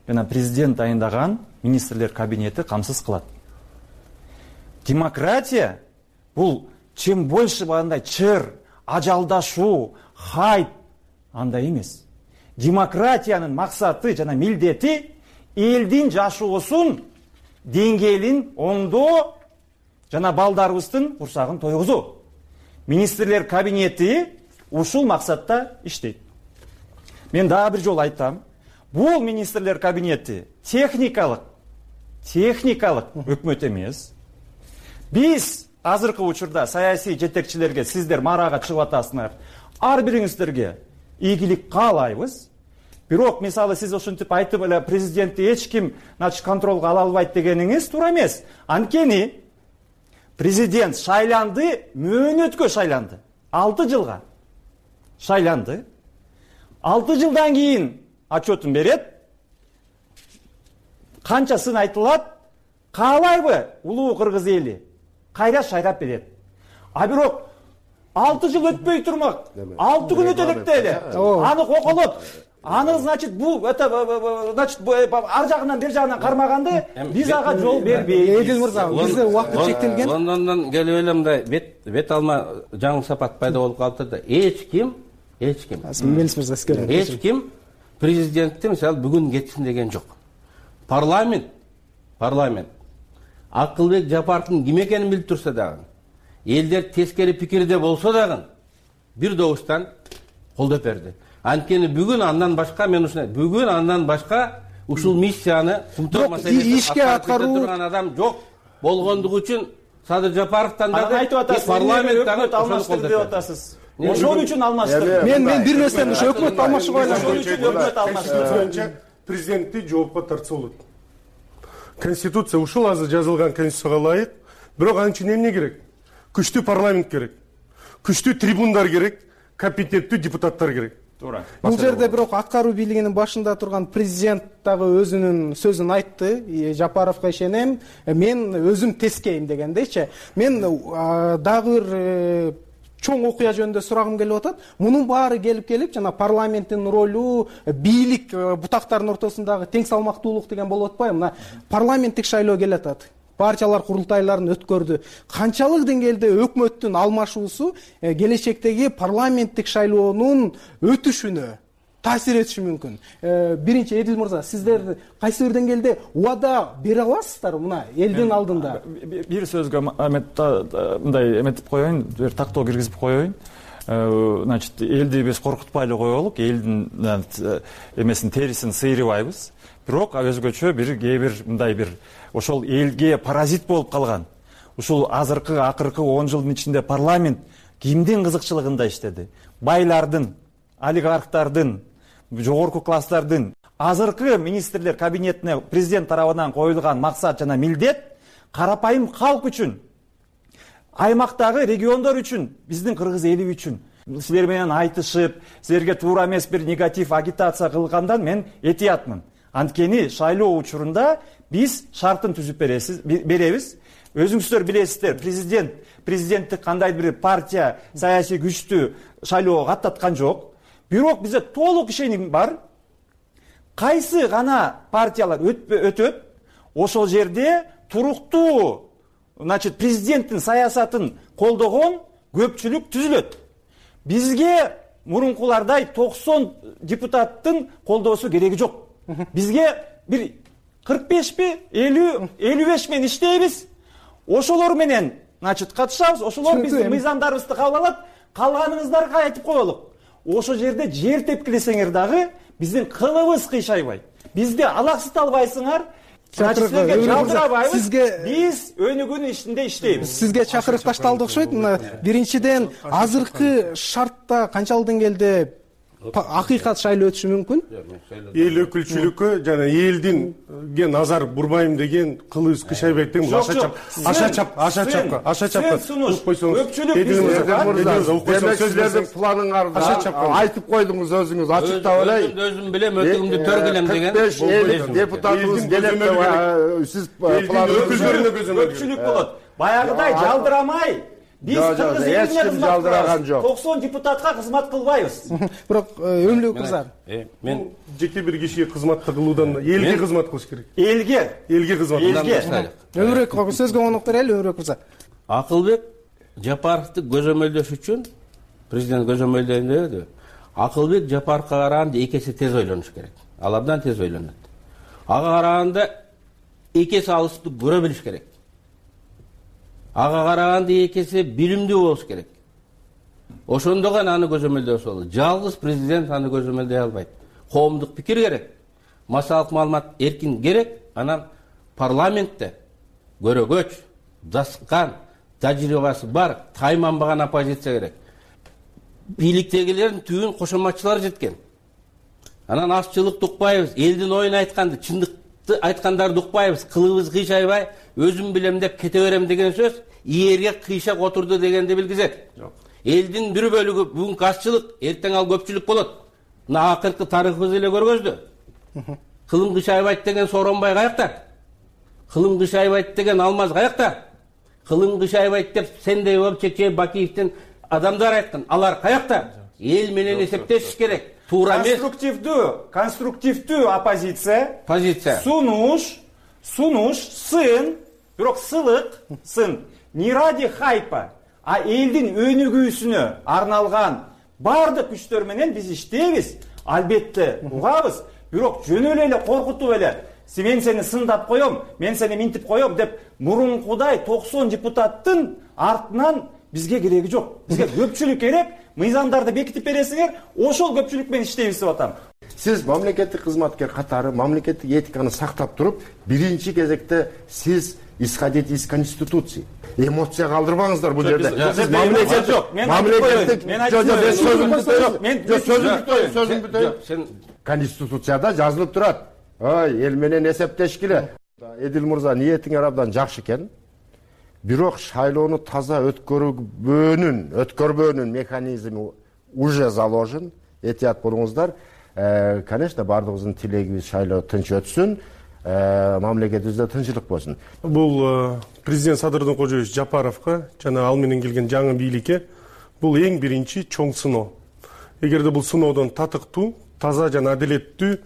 жана президент дайындаган министрлер кабинети камсыз кылат. Демократия бул чем больше андай чыр, ажалдашуу, хайп андай эмес. Демократиянын максаты жана милдети элдин жашоосун деңгээлин оңдоо жана балдарыбыздын курсагын тойгузуу. Министрлер кабинети ушул максатта иштейт. Мен дагы бир жолу айтам. Бул министрлер кабинети техникалык өкмөт эмес. Биз азыркы учурда саясий жетекчилерге сиздер марага чыгып атасыңар. Ар бириңиздерге ийгилик каалайбыз. Бирок мисалы сиз ошентип айтып эле президентти эч ким контролго ала албайт дегениңиз туура эмес. Анткени президент шайланды, мөөнөткө шайланды. 6 жылга шайланды. 6 жылдан кийин отчетун берет. Канчасын айтылат? Каалайбы улуу кыргыз эли? Кайра шайрап берет. А бирок 6 жыл өтпөй турмак. 6 күн өтө элек эле. Аны коколот. Аны, значит, ар жагынан бер жагынан кармаганды биз ага жол бербейбиз. Эдил мырза, бизде убакыт чектелген. Лондондон келип эле мындай бет алма жаңы сапат пайда болуп калды да эч ким президентти мисалы бүгүн кетсин деген жок. Парламент Акылбек Жапаровдун ким экенин билип турса дагы, элдер тескери пикирде болсо дагы бир добуштан колдоп берди. Анткени бүгүн андан башка ушул миссияны Кумтөр маселесин ишке аткаруу турган адам жок болгондугу үчүн Садыр Жапаровдон дагы парламенттен алмаштырды деп атасыз. Ошол үчүн алмаштырды. Мен бир нерсени ушу өкмөт алмашууга ойлойм. Президентти жоопко тартса болот. Конституция ушул азыр жазылган конституцияга ылайык. Бирок ал үчүн эмне керек? Күчтүү парламент керек. Күчтүү трибундар керек, компетенттүү депутаттар керек. Туура. Бул жерде бирок аткаруу бийлигинин башында турган президент дагы өзүнүн сөзүн айтты. Жапаровго ишенем, мен өзүм тескейм дегендейчи. Мен дагы бир чоң окуя жөнүндө сурагым келип атат. Мунун баары келип жана парламенттин ролу, бийлик бутактардын ортосундагы тең салмактуулук деген болуп атпайбы? Мына парламенттик шайлоо келе атат. Партиялар курултайларын өткөрдү. Канчалык деңгээлде өкмөттүн алмашуусу келечектеги парламенттик шайлоонун өтүшүнө таасир этиши мүмкүн? Биринчи Эдил мырза, сиздер кайсы бир деңгээлде убада бере аласыздар мына элдин алдында? Бир сөзгө мындай эметип коеюн, бир тактоо киргизип коеюн. значит, элди биз коркутпай эле коелук, элдин эмесин терисин сыйрыбайбыз. Бирок өзгөчө кээ бир мындай бир ошол элге паразит болуп калган. Ушул акыркы 10 жылдын ичинде парламент кимдин кызыкчылыгында иштеди? Байлардын, олигархтардын, жогорку класстардын. Азыркы министрлер кабинетине президент тарабынан коюлган максат жана милдет карапайым калк үчүн, аймактагы региондор үчүн, биздин кыргыз эли үчүн. Силер менен айтышып, силерге туура эмес бир негатив агитация кылгандан мен этиятмын. Анткени шайлоо учурунда биз шартын түзүп беребиз. Өзүңүздөр билесиздер, президенттик кандайдыр бир партия саясий күчтү шайлоого каттаткан жок. Бирок бизде толук ишеним бар. Кайсы гана партиялар өтөп, ошол жерде туруктуу, значит, президенттин саясатын колдогон көпчүлүк түзүлөт. Бизге мурункулардай 90 депутаттын колдоосу кереги жок. Бизге бир 45 50 55 менен иштейбиз. Ошолор менен, значит, катышабыз. Ошолор биздин мыйзамдарыбызды кабыл алат. Калганыңыздарга айтып коелук. Ошол жерде жер тепкилесеңер дагы биздин кылыбыз кыйшайбайт. Бизди алаксыта албайсыңар. Силерге жалдырабайбыз. Биз өнүгүүнүн ичинде иштейбиз. Сизге чакырык ташталды окшойт. Биринчиден, азыркы шартта канча жылдан келди акыйкат шайлоо өтүшү мүмкүн? Эл өкүлчүлүккө жана элдинге назар бурбайм деген, кылыбыз кыйшайбайт деген аша чапка. Силердин планыңарда айтып койдуңуз өзүңүз, ачыктап эле. Өзүм билем, өтүгүмдү төргүлем деген. 45 депутатыбыз келет деп сиз планыңызды көпчүлүк болот. Баягыдай жалдырамай биз кыргыз элине кызмат кылабыз. 90 депутатка кызмат кылбайбыз. Бирок өмүрү кызар. Мен жеке бир кишиге кызматты кылуудан элге кызмат кылыш керек. Элге кызмат. Өмүрөк сөзгө конок берели, өмүрөк кыза. Акылбек Жапаровду көзөмөлдөш үчүн президент көзөмөлдөйдү. Акылбек Жапаровго караганда экеси тез ойлонуш керек. Ал абдан тез ойлонот. Ага караганда экеси алысты көрө билиш керек. Ага караганда экеси билимдүү болуш керек. Ошондо гана аны көзөмөлдөсө болот. Жалгыз президент аны көзөмөлдөй албайт. Коомдук пикир керек, массалык маалымат эркин керек, анан парламентте көрөгөч, даскан, тажрыйбасы бар, тайманбаган оппозиция керек. Бийликтегилердин түбүн кошоматчылар жеткен. Анан азчылыкты укпайбыз, элдин оюн айтканды, чындыкты айткандарды укпайбыз, кылыбыз кыйшайбай, өзүм билем деп кете берем деген сөз ийерге кыйшап отурду дегенди билгизет. Элдин бир бөлүгү бүгүнкү азчылык, эртең ал көпчүлүк болот. Мына акыркы тарыхыбыз эле көргөздү. Кылым кыйшайбайт деген Сооронбай каякта? Кылым кыйшайбайт деген Алмаз каякта? Кылым кыйшайбайт деп Сендей болуп Чечен Бакиевдин адамдар айткан. Алар каякта? Эл менен эсептешиш керек. Туура эмес. Конструктивдүү оппозиция. Сунуш, сын, бирок сылык, сын. Не ради хайпа, а элдин өнүгүүсүнө арналган бардык күчтөр менен биз иштейбиз. Албетте угабыз, бирок жөнөлө эле коркутуп эле мен сени сындап коем, мен сени минтип коем деп мурункудай 90 депутаттын артынан бизге кереги жок. Бизге көпчүлүк керек. Мыйзамдарды бекитип бересиңер, ошол көпчүлүк менен иштейбиз деп атам. Сиз мамлекеттик кызматкер катары мамлекеттик этиканы сактап туруп, биринчи кезекте сиз исходить из конституции. Эмоция калтырбаңыздар бул жерде. Сиз мамлекеттик сөзүм бүтөйүн. Конституцияда жазылып турат. Ой, эл менен эсептешкиле. Эдил мырза, ниетиңер абдан жакшы экен. Бирок шайлоону таза өткөрбөөнүн механизми уже заложен. Этият болуңуздар. Конечно, бардыгыбыздын тилегибиз шайлоо тынч өтсүн, мамлекетибизде тынччылык болсун. Бул президент Садырдын Кожоевич Жапаровго жана ал менен келген жаңы бийликке бул эң биринчи чоң сыноо. Эгерде бул сыноодон татыктуу, таза жана адилеттүү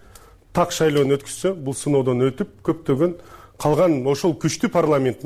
так шайлоону өткүзсө, бул сыноодон өтүп, көптөгөн калган ошол күчтүү парламент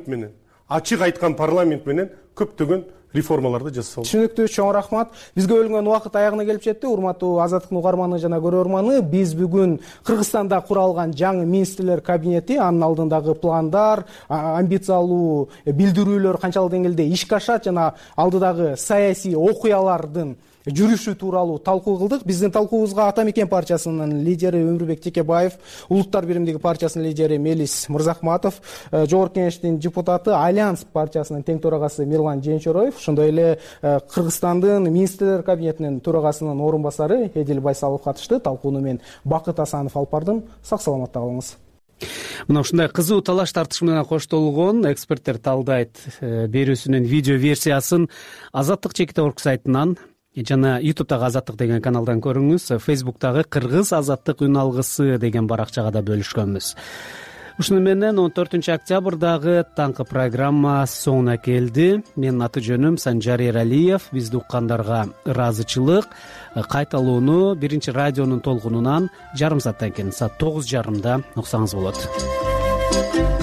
менен, ачык айткан парламент менен көптөгөн реформаларды жасалды. Түшүнүктүү, чоң рахмат. Бизге бөлүнгөн убакыт аягына келип жетти. Урматтуу Азаттыктын угарманы жана көрөрманы, биз бүгүн Кыргызстанда куралган жаңы министрлер кабинети, анын алдындагы пландар, амбициялуу билдирүүлөр канчалык деңгээлде ишке ашат жана алдыдагы саясий окуялардын жүрүшү тууралуу талкуу кылдык. Биздин талкуубузга Ата Мекен партиясынын лидери Өмүрбек Текебаев, Улуттар биримдиги партиясынын лидери Мелис Мырзахматов, Жогорку Кеңештин депутаты, Альянс партиясынын тең төрагасы Мирлан Женчороев, ошондой эле Кыргызстандын министрлер кабинетинин төрагасынын орун басары Эдил Байсалов катышты. Талкууну мен Бакыт Асанов алып бардым. Сак саламатта калыңыз. Мына ушундай кызуу талаш тартыш менен коштолгон эксперттер талдайт берүүсүнүн видео версиясын Азаттык Чекит.орг сайтынан жана YouTube'дагы Азаттык деген каналдан көрүңүз. Facebook'тагы Кыргыз Азаттык үн алгысы деген баракчага да бөлүшкөнбүз. Ушуну менен 14 октябрдагы таңкы программа соңуна келди. Менин аты жөнүм Санжар Эралиев. Бизди уккандарга ыраазычылык. Кайталууну биринчи радионун толкунунан жарым сааттан кийин саат 9:30 уктсаңыз болот.